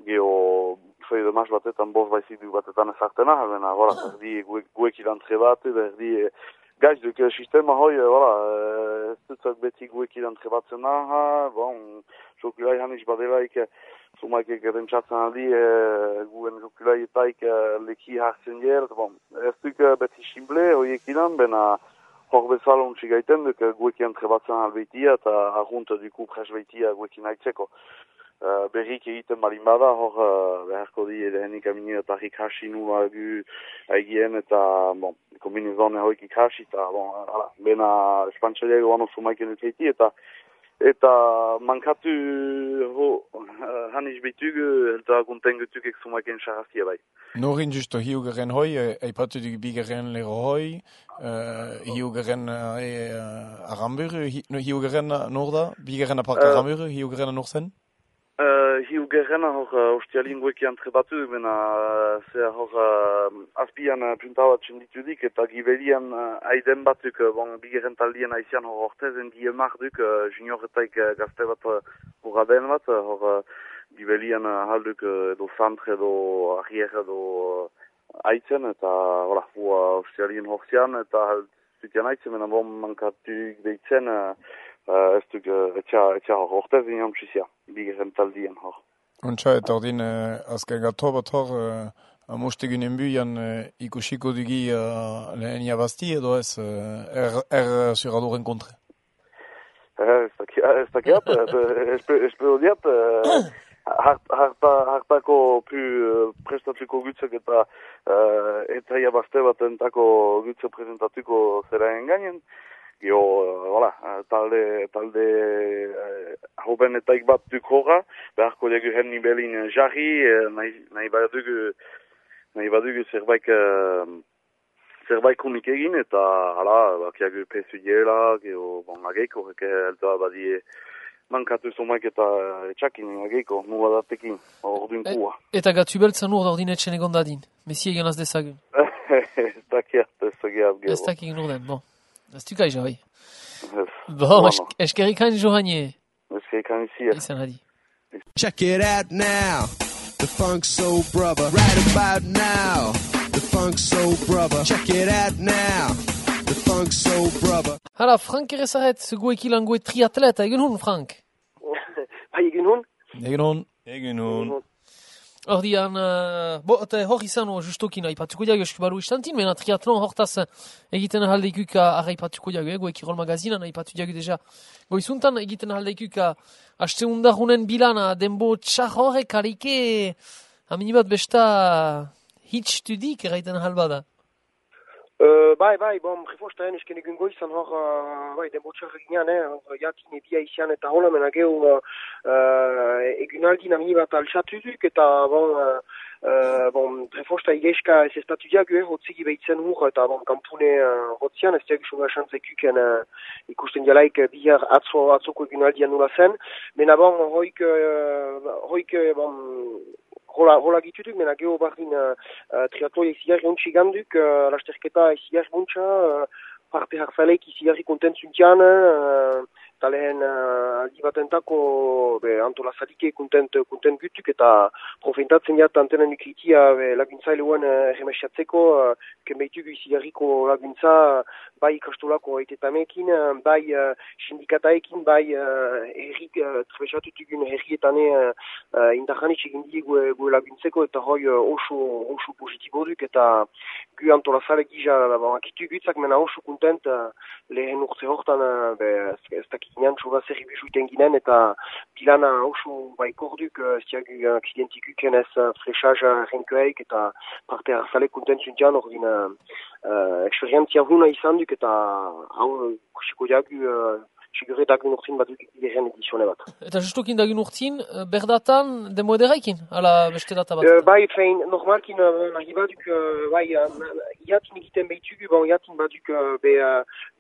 geho fei de mas batetan bost baizik du batetan ezartena, bena erdi guekilan trebatu, erdi Gaiz duk sistema hoi, ez dutzak beti guekidan trebatzen naha, jokulai haniz badelaik, zumaikek errentzatzen aldi, guen jokulaitaik leki hartzen jert, ez duk beti simple hoiekidan, bena hor bezala untsi gaiten duk guekian trebatzen albeitia, eta argunt duku presbeitia guekin haitzeko. Berrik egiten balin bada, hor beharko di edehenik amini eta hasi nula gu haigien eta kombinizone hoik ikasi eta bena espantxaliago ano sumaiken ukeiti eta mankatu haniz bitugu eta gunten gutukek sumaiken xarazia bai. Norin justo hiugeren hoi, eipatu duk bigeren lero hoi, hiugeren aramburu, hiugeren norda, bigeren apart aramburu, hiugeren norzen? Hiugerrena hor ostialin guekian trebatu, bena hor azpian puntabatzen ditudik eta gibelian aiden batuk bigeren taldien aizian hor ortezen diemak duk junioretaik gazte bat hor aden bat, hor gibelian halduk edo santre edo arrier edo aitzen eta ostialin horzian eta zutian aitzen, bena mankatuk deitzen ez duk etxa hor ortezen jamtxizia. Bigeren taldien hor. Untsa eta ordin azken gato bat hor amostegunen buian ikusiko dugi lehen jabazti edo ez zuradoren kontre? Ez dakiat, espero diat hartako prestatuko gutzak eta jabazte bat entako gutzak presentatuko zeraen gainen. Talde hobenetaik bat duk horra, beharko dugu henni belin jarri, nahi badugu zerbait kunik egin, eta bakiagu pesu diela, ageiko, eltoa badie mankatu zomaik eta etxakin ageiko, nula datekin, orduin kua. Eta gatu beltzan ur ordin etxen egon dadin, mesi egan az dezagun. Ez dakiat. Ez dakik nurden, bon. Ez du kai joi. Bon, eskerikain johanie. Eskerikain isia. Izan hadi. Check it out now, the Funk Soul Brother. Right about now, the Funk Soul Brother. Check it out now, the Funk Soul Brother. Hala, Frank erezaret, gueki langoe triatleta, egin hun, Frank? Egin hun? Egin hun. Ordian, hor izan justokin aipatuko diago eskubaru istantin, mena triatlon hortaz egiten ahaldeikuka aipatuko diago, goeki rol magazinan aipatu diago deja. Goizuntan egiten ahaldeikuka haste undarunen bilana denbo txar horrek harike aminibat besta hitstudik eraiten ahalbada. Bai, prefostaen esken egun goizan hor, denbo txar eginean, jakin ebia izan eta hola menageu egunaldin aminibat alxatuduk eta prefosta igeiska ez estatu diago, hotzigi behitzen hur eta kampune hotzian, ez diago soga xantzekuken ikusten dialaik bihar atzoko egunaldian nula zen, mena hoik Hola gitutuk, mena geho bardin triatloiek zigarri ontsi ganduk, lasterketa zigarri ontsa, parte hartzaleik zigarri kontentzuntian, eta lehen aldi batentako antolazadike kontent gutuk, eta profentatzen jat antenen ikritia laguntzaileuen remesiatzeko, kenbeitugu zigarriko laguntza, bai ikastolako eitetamekin, bai sindikataekin, bai herrik, trebesatutugun herrietane indarjanitz egin gue laguntzeko, eta hoi oso positibo duk, eta gu antolazale gija akitu gutzak, mena oso kontent lehen urte hortan, ez dakikinean txoga zerri bizuiten ginen, eta pilana oso baikor duk, ez diagu aksidentikuken ez frechaz renkoeik, eta parte hartzale kontent zuntian ordin eksperientzia huna izan duk, eta hau kusiko diagu sigure dagun urtin bat duk egiten edizione bat. Eta justokin dagun urtin, berdatan demo ederaikin, ala beste data bat? Bai, fein, normalkin nahi baduk, iatin egiten behitugu, iatin baduk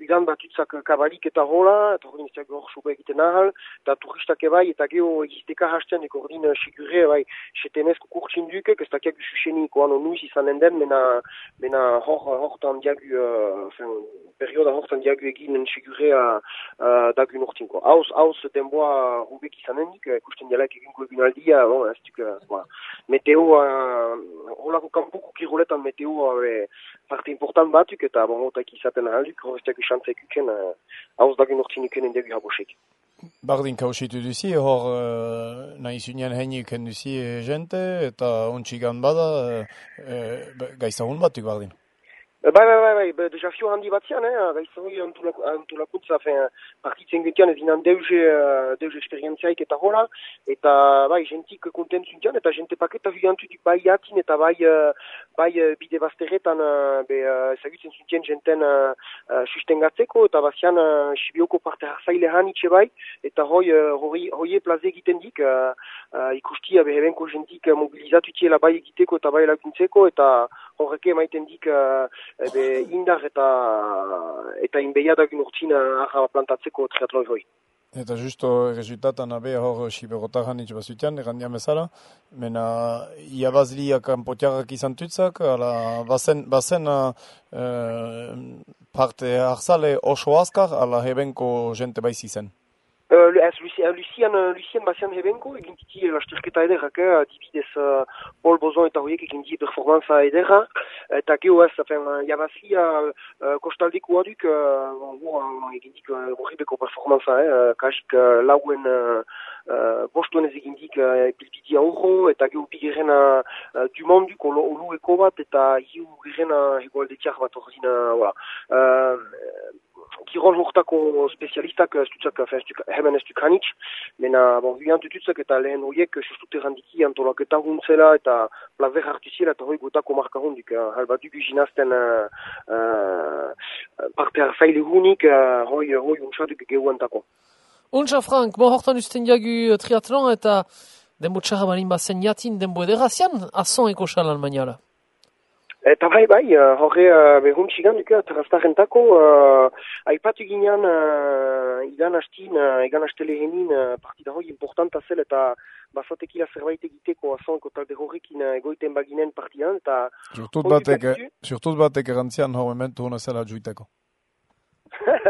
udan batutzak kabalik eta hola, eta ordin ez hor sobe egiten ahal, eta turistak bai, eta geho egizteka hasten, eko ordin sigure, bai, setenezko kurtsin duk, ez dakiak ususeniko ano nuiz izanen den, mena hortan diagu, perioda hortan diagu egin sigure dagun urtinko. Hauz denboa hubek izanenik, ikusten dialek eginko egunaldia, ez duk, meteo, holako kanpoko kiroletan meteo parte important batuk, eta otak izaten ahalduk, horreztiak xantzak uken, hauz dagun urtinuken endegu habosek. Bardin kausitu duzi, hor nahi zunean heinuken duzi jente, eta ontsigan bada, gaizagun batuk bardin. Bai, desafio handi batzian, gaizoi antolakuntza, partitzen gutian ez dinan deuze esperientziaik eta hola, eta bai, jentik kontentzuntian, eta jente paketa huiantutik bai jatin, eta bai bide bazterretan ezagutzen zuntien jenten sustengatzeko, eta bazian Sibioko parte hartzaile hanitxe bai, eta hoi plaze egiten dik, ikustia behebenko jentik mobilizatutiela bai egiteko eta bai laguntzeko, eta horreke maiten dik indar eta inbeia dagun urtin arra plantatzeko triatloi hoi. Eta justo resultatan abe hor Siberotarran itx bazutian, errandian bezala, mena iabazliak kanpotiarrak izan tutzak, ala bazen parte harzale oso azkar, ala hebenko jente baiz izen. Lucien bazian hebenko, egin titi lasterketa ederrak, dibidez Paul Bozon eta horiek egin di performanza ederra, eta geho ez, jabazia kostaldeko aduk, egin dik horribeko performanza, kasik lauen bostuen ez egin dik pilpitia horro, eta geho bigeren du monduk olueko bat, eta hiu geren egoaldetiak bat horzina, Kirol hortako spezialistak hemen ez duk hanitz, mena huian tututzak eta lehen horiek sustut errandiki antolaketa huntzela eta plazer hartuziela eta hoi gotako marka hundik. Halba dugu ginazten parte hartzaile hunik, hoi untsaduk gehuantako. Untsa, Frank, mo hortan usten diagu triatlon eta denbo txarra balin bazen jatin denbo ederazian, azon eko xalan maniala. Eta bai, horre behuntxigan duke terraztarrentako, aipatu ginean igan astelehenin partida hoi importanta zel eta bazatekila zerbait egiteko azonko talde horrekin egoiten baginen partidan, eta... Surtut batek erantzian hor momentu hona zela juiteko.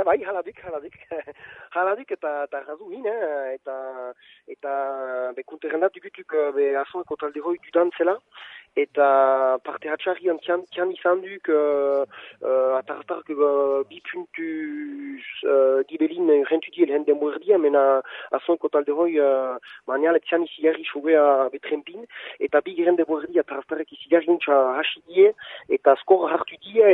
Bai, haladik eta razu hin, eta bekunterrendat dugutuk azonko talde hoi dudan zela, eta parte hatxarrian tian izan duk atartark bi puntu gibelin rentuti elhen denbo erdia, mena azonko talde hoi manial tian izigarri sobea betrempin, eta bi geren denbo erdia atartarek izigarri untsa hasi die, eta skor hartu die,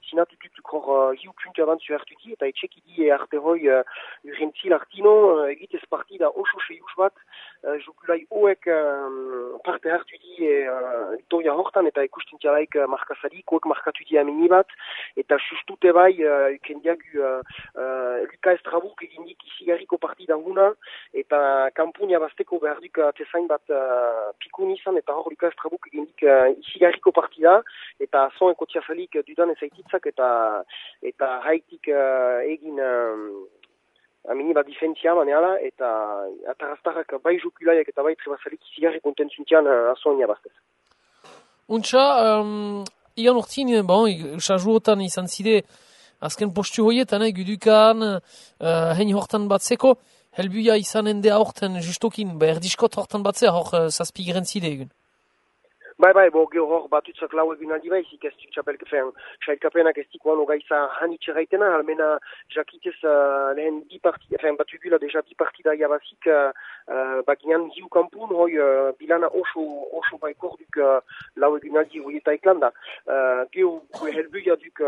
zinatututuk hor hiu puntu abantzu hartu die, eta etxeki die arte hoi urrentzil artino, egitez partida oso seius bat, jokulai hoek parte hartu die Victoria hortan, eta ikusten tialaik markazarik, hoek markatu die amini bat, eta sustute bai, kendiagu Luka Estrabuk egindik izigarriko partida huna, eta kampunia bazteko behar duk tezain bat pikun izan, eta hor Luka Estrabuk egindik izigarriko partida, eta zon ekotiazalik dudan ezaititzak, eta haitik egin amini bat difentzia maneala, eta ataraztarrak bai jokulaiak eta bai trebazalik izigarri kontentzuntian azonia baztez. Untsa, igan urtin, sajuotan izan zide, azken postu hoietan, gudukan, hein hortan batzeko, helbuia izan ende aurten justokin, erdiskot hortan batzea, hor zazpigiren zide egun. Bai, geho hor batutzak lau egun aldi baizik, ez duk txailkapenak ez dikoan ogaiza hanitxe gaitena, almena jakitez lehen bi partida, batugula deja bi partida jabazik, baginan hiu kampun, hoi bilana oso baikor duk lau egun aldi hoieta eklanda. Geho helbuia duk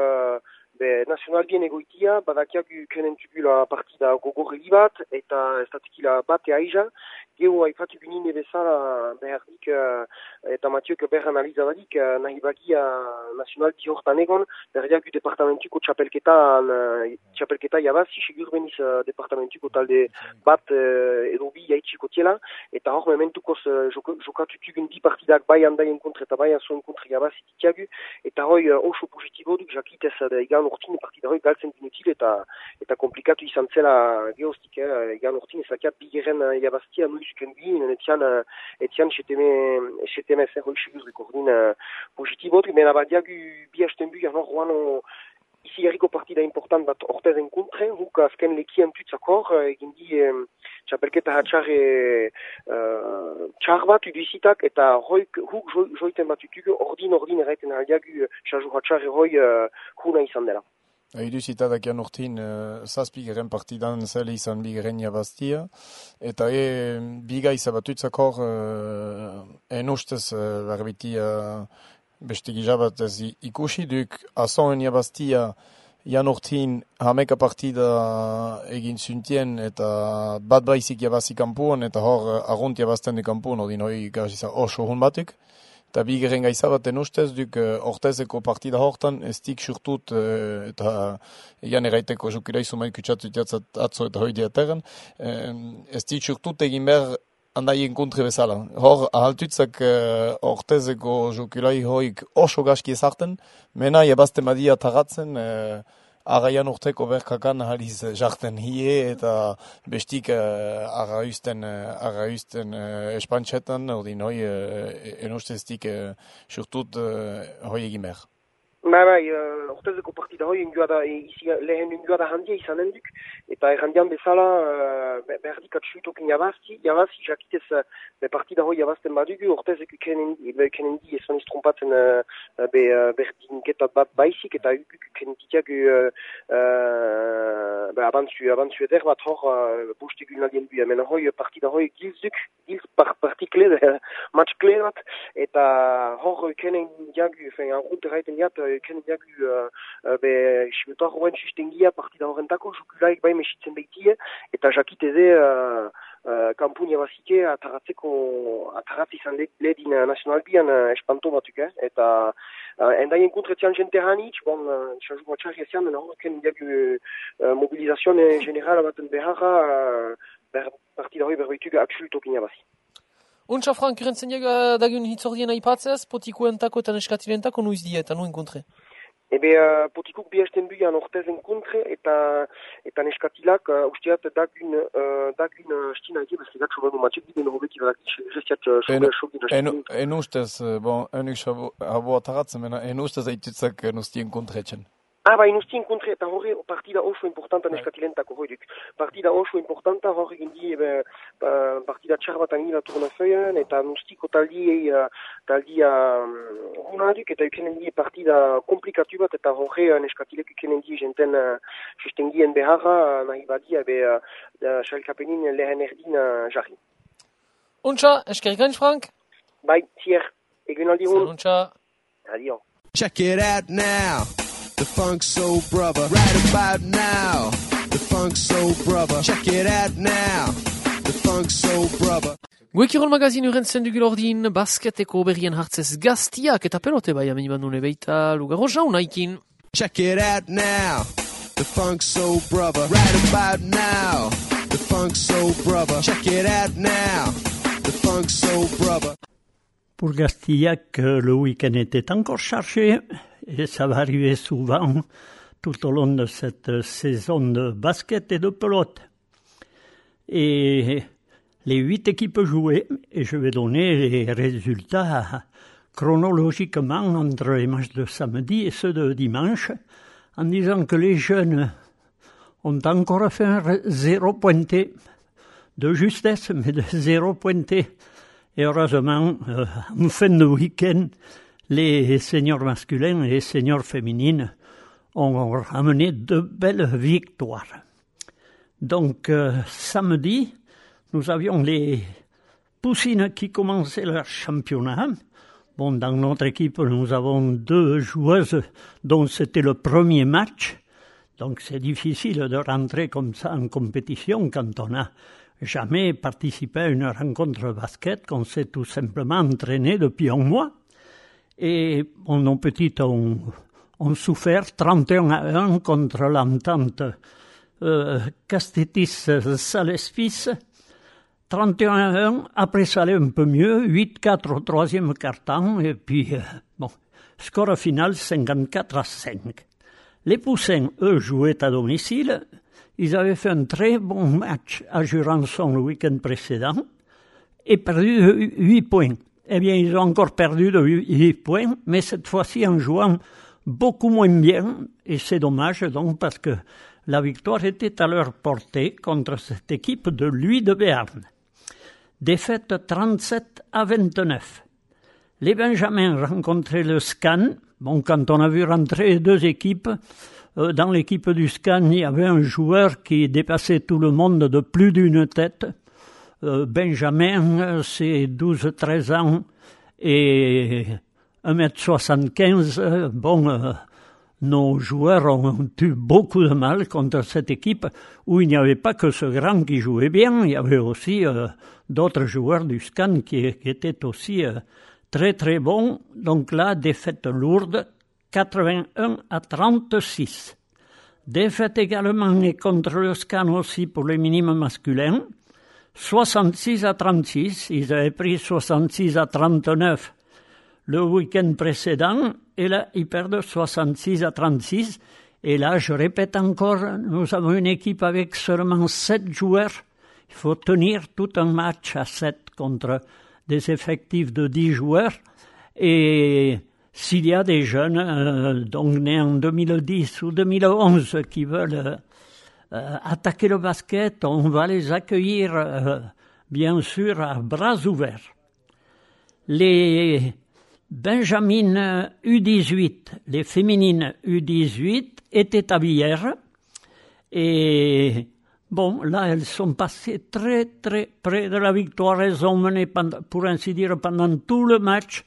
nazional bien egoitia, badakiak kenen tugula partida gogorreli bat, eta ez datikila bate aiza, geho haifatu ginen bezala behardik eta Matiok behar analizabadik nahi bagia nazional hortan egon, berdiak departamentuko txapelketa jabazi, segur beniz departamentuko talde bat edo bi jaitsiko tiela, eta hor mementukoz jokatutugun bi partidak bai handaien kontra eta bai azoen kontra jabazi ditiagu, eta hoi oso positibo duk jakitez igan urtin partida hoi galtzen dinutil eta komplikatu izan zela geostik, igan urtin ezakiat bigeren jabaztia nuizuken bin, etian seteme zer hoi segur rekordin positibo duk, mena badiagu bi hasten bu, hor roan izigarriko partida partida important bat ortezen kontre, huk azken lekian tutzakor, egin di txapelketa hatxarre txar bat uduzitak, eta huk joiten bat utugu ordin erraiten aldiagu xaju hatxarre huna izan dela. Iduzita dakian urtin, zazpigeren partidan zele izan bigeren jabaztia, eta biga izabatutzakor ustez barbitia beste gizabat ez ikusi duk, azoen jabaztia jan urtin hameka partida egin zuntien, eta bat baizik jabazi kampuan, eta hor argunt jabazten de kampuan, ordin hori gaziza oso hon batek. Eta bigeren gaizabaten ustez, duk ortezeko partida hortan, ez dik surtut, eta egan eraiteko jokira izumain kutsatu jatzat atzo eta hoi diateren, ez dik surtut egin behar handaien kontre bezala. Hor, ahaltutzak ortezeko jokilai hoik oso gaski ezarten, mena jabazten badia tagatzen, arraian urteko berkakan ahaliz jarten hie eta bestik arrausten espantxetan, ordin hoi enusteztik surtut hoi egin behar. Bai, ortezeko partida hoi lehen ingoada handia izanen duk, eta errandian bezala berdik atxuitokin jabazi jakitez partida hoi jabazten badugu, ortezeko kenen di esan iztrompatzen berdinketat bat baizik, eta kenentitiagu abantzu eder bat hor bostegun aldien du, hemen hoi partida hoi gilzduk, partikle, match kle bat, eta hor kenen diagu, arrunt erraiten diat, kenen diagu sibetuak horren sustengia partida horrentako, jokulaik bai mesitzen behitie, eta jakiteze kampun jabazike ataratze izan ledin nazionalbian espanto batuk, eta endaien kontretzian jente hanitz, xaju batxarri ezian, horren diagu mobilizazioan generala baten beharra, partida hori berbeitugu aksultokin jabazi. Untsa, Frank, irentzen dagun hitzordien aipatzez, potikuentako eta neskatilentako nuiz die eta nuen kontre? Potikuk bihasten buian ortezen kontre eta neskatilak usteat dagun stina egi, bezlegat sobanu matxek biden hobeki badak gestiat sobera En ustez, enuk abo ataratzen, en ustez aitutzak nustien kontretxen. Inustien kontre, eta horre partida oso importanta neskatilentako hoiduk. Partida oso importanta horre gindi partida txar bat angila turnafeuen, eta nustiko taldia hunaduk, eta ukenen die partida komplikatu bat, eta horre neskatilek ukenen die jenten sustengien beharra, nahi badia, xalkapenin lehen erdin jarri. Untsa, eskerikain, Frank? Bai, zier, egun aldi hun. Untsa. Adio. Check it out now. The Funk Soul Brother. Right about now. The Funk Soul Brother. Check it out now. The Funk Soul Brother. Guekirol magazin urentzen dugul ordin, basketeko berrien hartzez gaztiak eta pelote bai ameni bandune beita lugarro jaunaikin. Check it out now. The Funk Soul Brother. Right about now. The Funk Soul Brother. Check it out now. The Funk Soul Brother. Pour Gastillac, le week-end était encore chargé et ça va arriver souvent tout au long de cette saison de basket et de pelote. Et les 8 équipes jouaient et je vais donner les résultats chronologiquement entre les matchs de samedi et ceux de dimanche en disant que les jeunes ont encore fait un 0 pointé de justesse mais de 0 pointé. Et heureusement, en fin de week-end, les seniors masculins et les seniors féminines ont ramené de belles victoires. Donc, samedi, nous avions les Poussines qui commençaient leur championnat. Bon, dans notre équipe, nous avons 2 joueuses dont c'était le premier match. Donc, c'est difficile de rentrer comme ça en compétition quand on a jamais participé à une rencontre basket, qu'on s'est tout simplement entraîné depuis un mois. Et nos petites ont souffert 31-1 contre l'entente Castetis-Salespis. 31-1, après ça allait un peu mieux, 8-4 au troisième quart-temps, et puis, score final 54-5. Les Poussins, eux, jouaient à domicile. Ils avaient fait un très bon match à Jurançon le week-end précédent et perdu 8 points. Eh bien, ils ont encore perdu de 8 points, mais cette fois-ci en jouant beaucoup moins bien, et c'est dommage donc parce que la victoire était à leur portée contre cette équipe de Louis de Béarn. Défaite 37-29. Les Benjamins rencontraient le SCAN. Bon, quand on a vu rentrer deux équipes, dans l'équipe du SCAN, il y avait un joueur qui dépassait tout le monde de plus d'une tête. Benjamin, c'est 12-13 ans et 1m75. Bon, nos joueurs ont eu beaucoup de mal contre cette équipe où il n'y avait pas que ce grand qui jouait bien, il y avait aussi d'autres joueurs du SCAN qui étaient aussi très très bons. Donc là, défaite lourde, 81-36. Défaite également contre le SCAN aussi pour les minimes masculins, 66-36. Ils avaient pris 66-39 le week-end précédent, et là, ils perdent 66-36. Et là, je répète encore, nous avons une équipe avec seulement 7 joueurs. Il faut tenir tout un match à 7 contre des effectifs de 10 joueurs. Et s'il y a des jeunes, donc nés en 2010 ou 2011, qui veulent attaquer le basket, on va les accueillir, bien sûr, à bras ouverts. Les Benjamines U18, les féminines U18 étaient à Villers. Et bon, là, elles sont passées très, très près de la victoire. Elles ont mené, pour ainsi dire, pendant tout le match.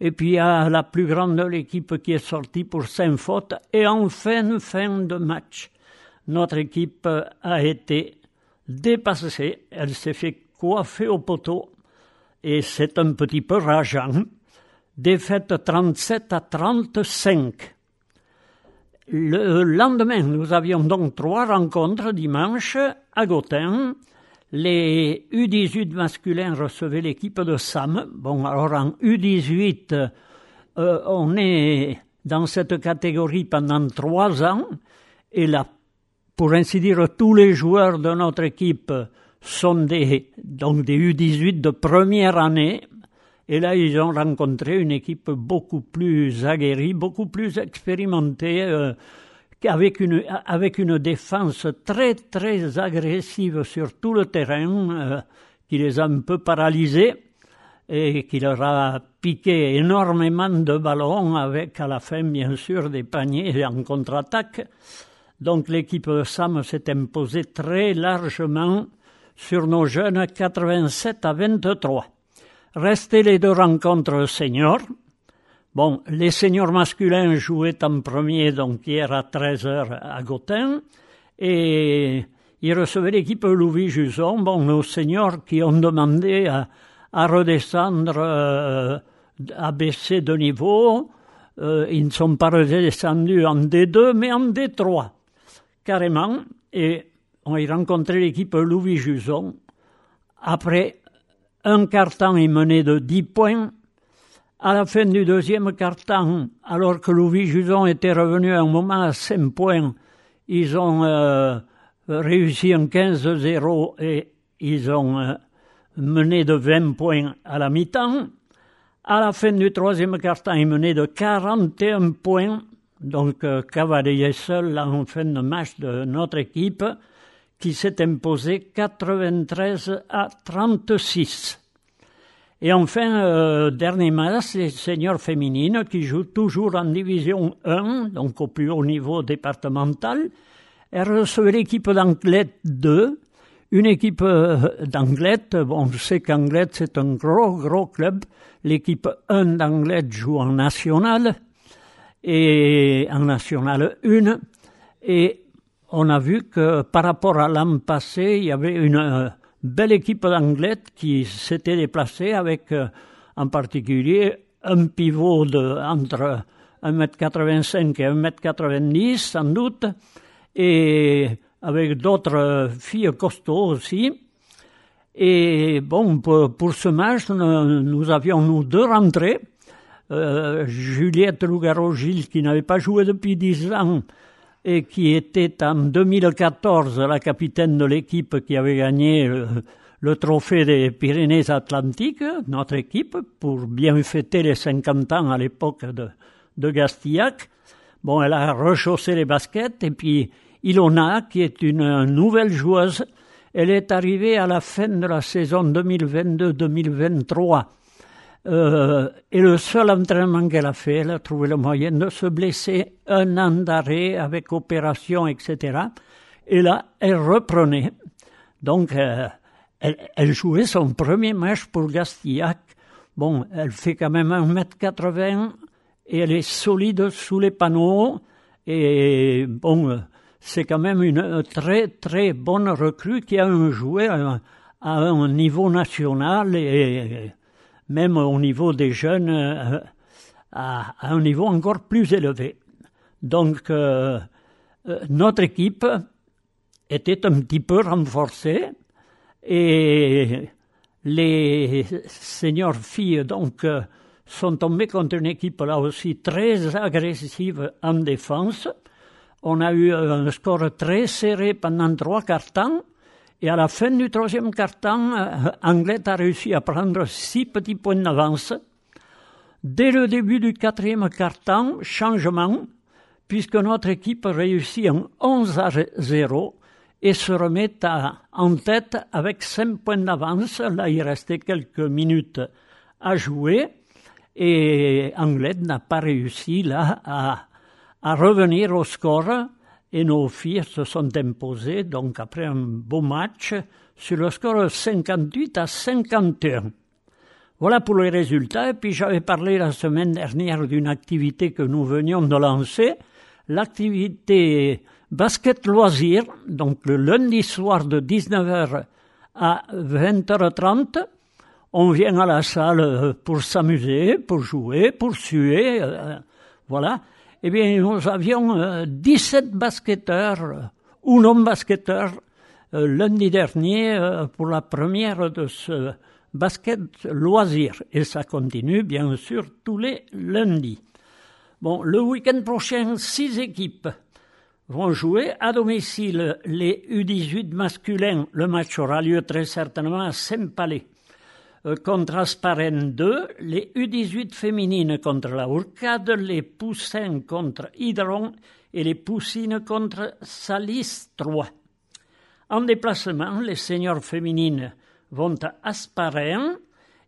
Et puis, il y a la plus grande de l'équipe qui est sortie pour 5 fautes. Et en fin de match, notre équipe a été dépassée. Elle s'est fait coiffer au poteau. Et c'est un petit peu rageant. Défaite 37-35. Le lendemain, nous avions donc 3 rencontres dimanche à Gothen. Les U18 masculins recevaient l'équipe de Sam. Bon, alors en U18, on est dans cette catégorie pendant 3 ans. Et là, pour ainsi dire, tous les joueurs de notre équipe sont des U18 de première année. Et là, ils ont rencontré une équipe beaucoup plus aguerrie, beaucoup plus expérimentée, avec une défense très, très agressive sur tout le terrain, qui les a un peu paralysés et qui leur a piqué énormément de ballons avec, à la fin, bien sûr, des paniers en contre-attaque. Donc, l'équipe de Sam s'est imposée très largement sur nos jeunes 87-23. Restaient les 2 rencontres seniors. Bon, les seniors masculins jouaient en premier, donc hier à 13h à Gothen, et ils recevaient l'équipe Louis-Juson. Bon, nos seniors qui ont demandé à redescendre, à baisser de niveau, ils ne sont pas redescendus en D2, mais en D3, carrément, et on y rencontrait l'équipe Louis-Juson. Après un quart-temps, ils menaient de 10 points. À la fin du deuxième quart-temps, alors que Louis-Juson était revenu à un moment à 5 points, ils ont réussi un 15-0 et ils ont mené de 20 points à la mi-temps. À la fin du troisième quart-temps, ils menaient de 41 points, donc cavalier seul en fin de match de notre équipe, qui s'est imposé 93-36. Et enfin, dernier match, les seniors féminines qui jouent toujours en division 1, donc au plus haut niveau départemental. Elles recevaient l'équipe d'Anglet 2, une équipe d'Anglet. Bon, je sais qu'Anglet, c'est un gros club. L'équipe 1 d'Anglet joue en national, et en national 1. Et on a vu que par rapport à l'an passé, il y avait une belle équipe d'Anglet qui s'était déplacée avec, en particulier, un pivot entre 1m85 et 1m90, sans doute, et avec d'autres filles costauds aussi. Et bon, pour ce match, nous avions 2 rentrées. Juliette Lougaro-Gilles, qui n'avait pas joué depuis 10 ans, et qui était en 2014 la capitaine de l'équipe qui avait gagné le trophée des Pyrénées-Atlantiques, notre équipe, pour bien fêter les 50 ans à l'époque de Gastillac. Bon, elle a rechaussé les baskets, et puis Ilona, qui est une nouvelle joueuse, elle est arrivée à la fin de la saison 2022-2023. Et le seul entraînement qu'elle a fait, elle a trouvé le moyen de se blesser, 1 an d'arrêt avec opération, etc. Et là, elle reprenait. Donc, elle jouait son premier match pour Gastillac. Bon, elle fait quand même 1m80 et elle est solide sous les panneaux. Et bon, c'est quand même une très très bonne recrue qui a joué à un niveau national et même au niveau des jeunes à un niveau encore plus élevé. Donc, notre équipe était un petit peu renforcée et les seniors filles donc sont tombées contre une équipe là aussi très agressive en défense. On a eu un score très serré pendant 3 quarts-temps et à la fin du 3e quart-temps, Anglet a réussi à prendre 6 petits points d'avance. Dès le début du 4e quart-temps, changement, puisque notre équipe réussit en 11-0 et se remet en tête avec 5 points d'avance. Là, il restait quelques minutes à jouer et Anglet n'a pas réussi là à revenir au score et nos filles se sont imposées donc après un beau match sur le score 58-51. Voilà pour les résultats. Et puis j'avais parlé la semaine dernière d'une activité que nous venions de lancer, l'activité basket loisir, donc le lundi soir de 19h à 20h30. On vient à la salle pour s'amuser, pour jouer, pour suer, voilà. Eh bien, nous avions 17 basketteurs ou non-basketteurs lundi dernier pour la première de ce basket loisir. Et ça continue, bien sûr, tous les lundis. Bon, le week-end prochain, 6 équipes vont jouer à domicile les U18 masculins. Le match aura lieu très certainement à Saint-Palais. Contre Asparen 2, les U18 féminines contre la Hourcade, les Poussins contre Hydron et les Poussines contre Salis 3. En déplacement, les seniors féminines vont à Asparen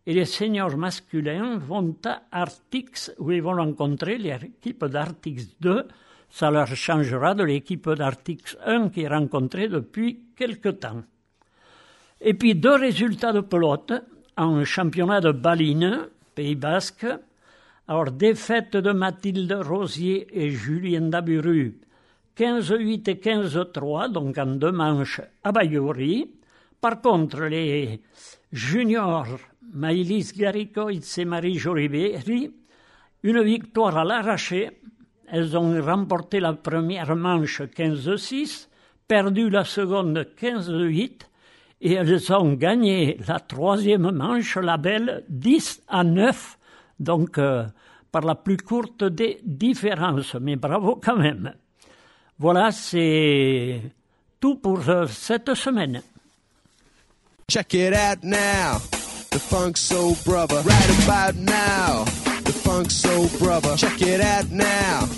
et les seniors masculins vont à Artix où ils vont rencontrer l'équipe d'Artix 2. Ça leur changera de l'équipe d'Artix 1 qui est rencontrée depuis quelque temps. Et puis 2 résultats de pelote. En championnat de Balines, Pays Basque, alors défaite de Mathilde Rosier et Julien Daburu, 15-8 et 15-3, donc en 2 manches à Bayouri. Par contre, les juniors Maïlis Garicoitz et Marie Joriberi, une victoire à l'arraché. Elles ont remporté la première manche 15-6, perdu la seconde 15-8, et elles ont gagné la 3e manche, la belle, 10-9, donc par la plus courte des différences, mais bravo quand même. Voilà, c'est tout pour cette semaine. Check it out now, the Funk Soul Brother. Right about now, the Funk Soul Brother. Check it out now,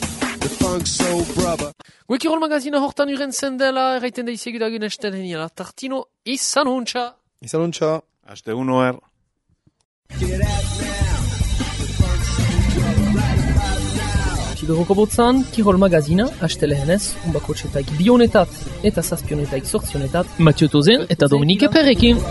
the Funk Soul Brother. Guekirol magazina hortan urentzen dela, erraiten da izegudagun esteleniela. Tartino, izan huntza. Izan huntza. Aste unoer. Kiberoko botzan, Kirol magazina, astelehenez, unbakotxetak bionetat eta zazpionetak sortzionetat, Mathieu Tozen eta Dominique Perrekin.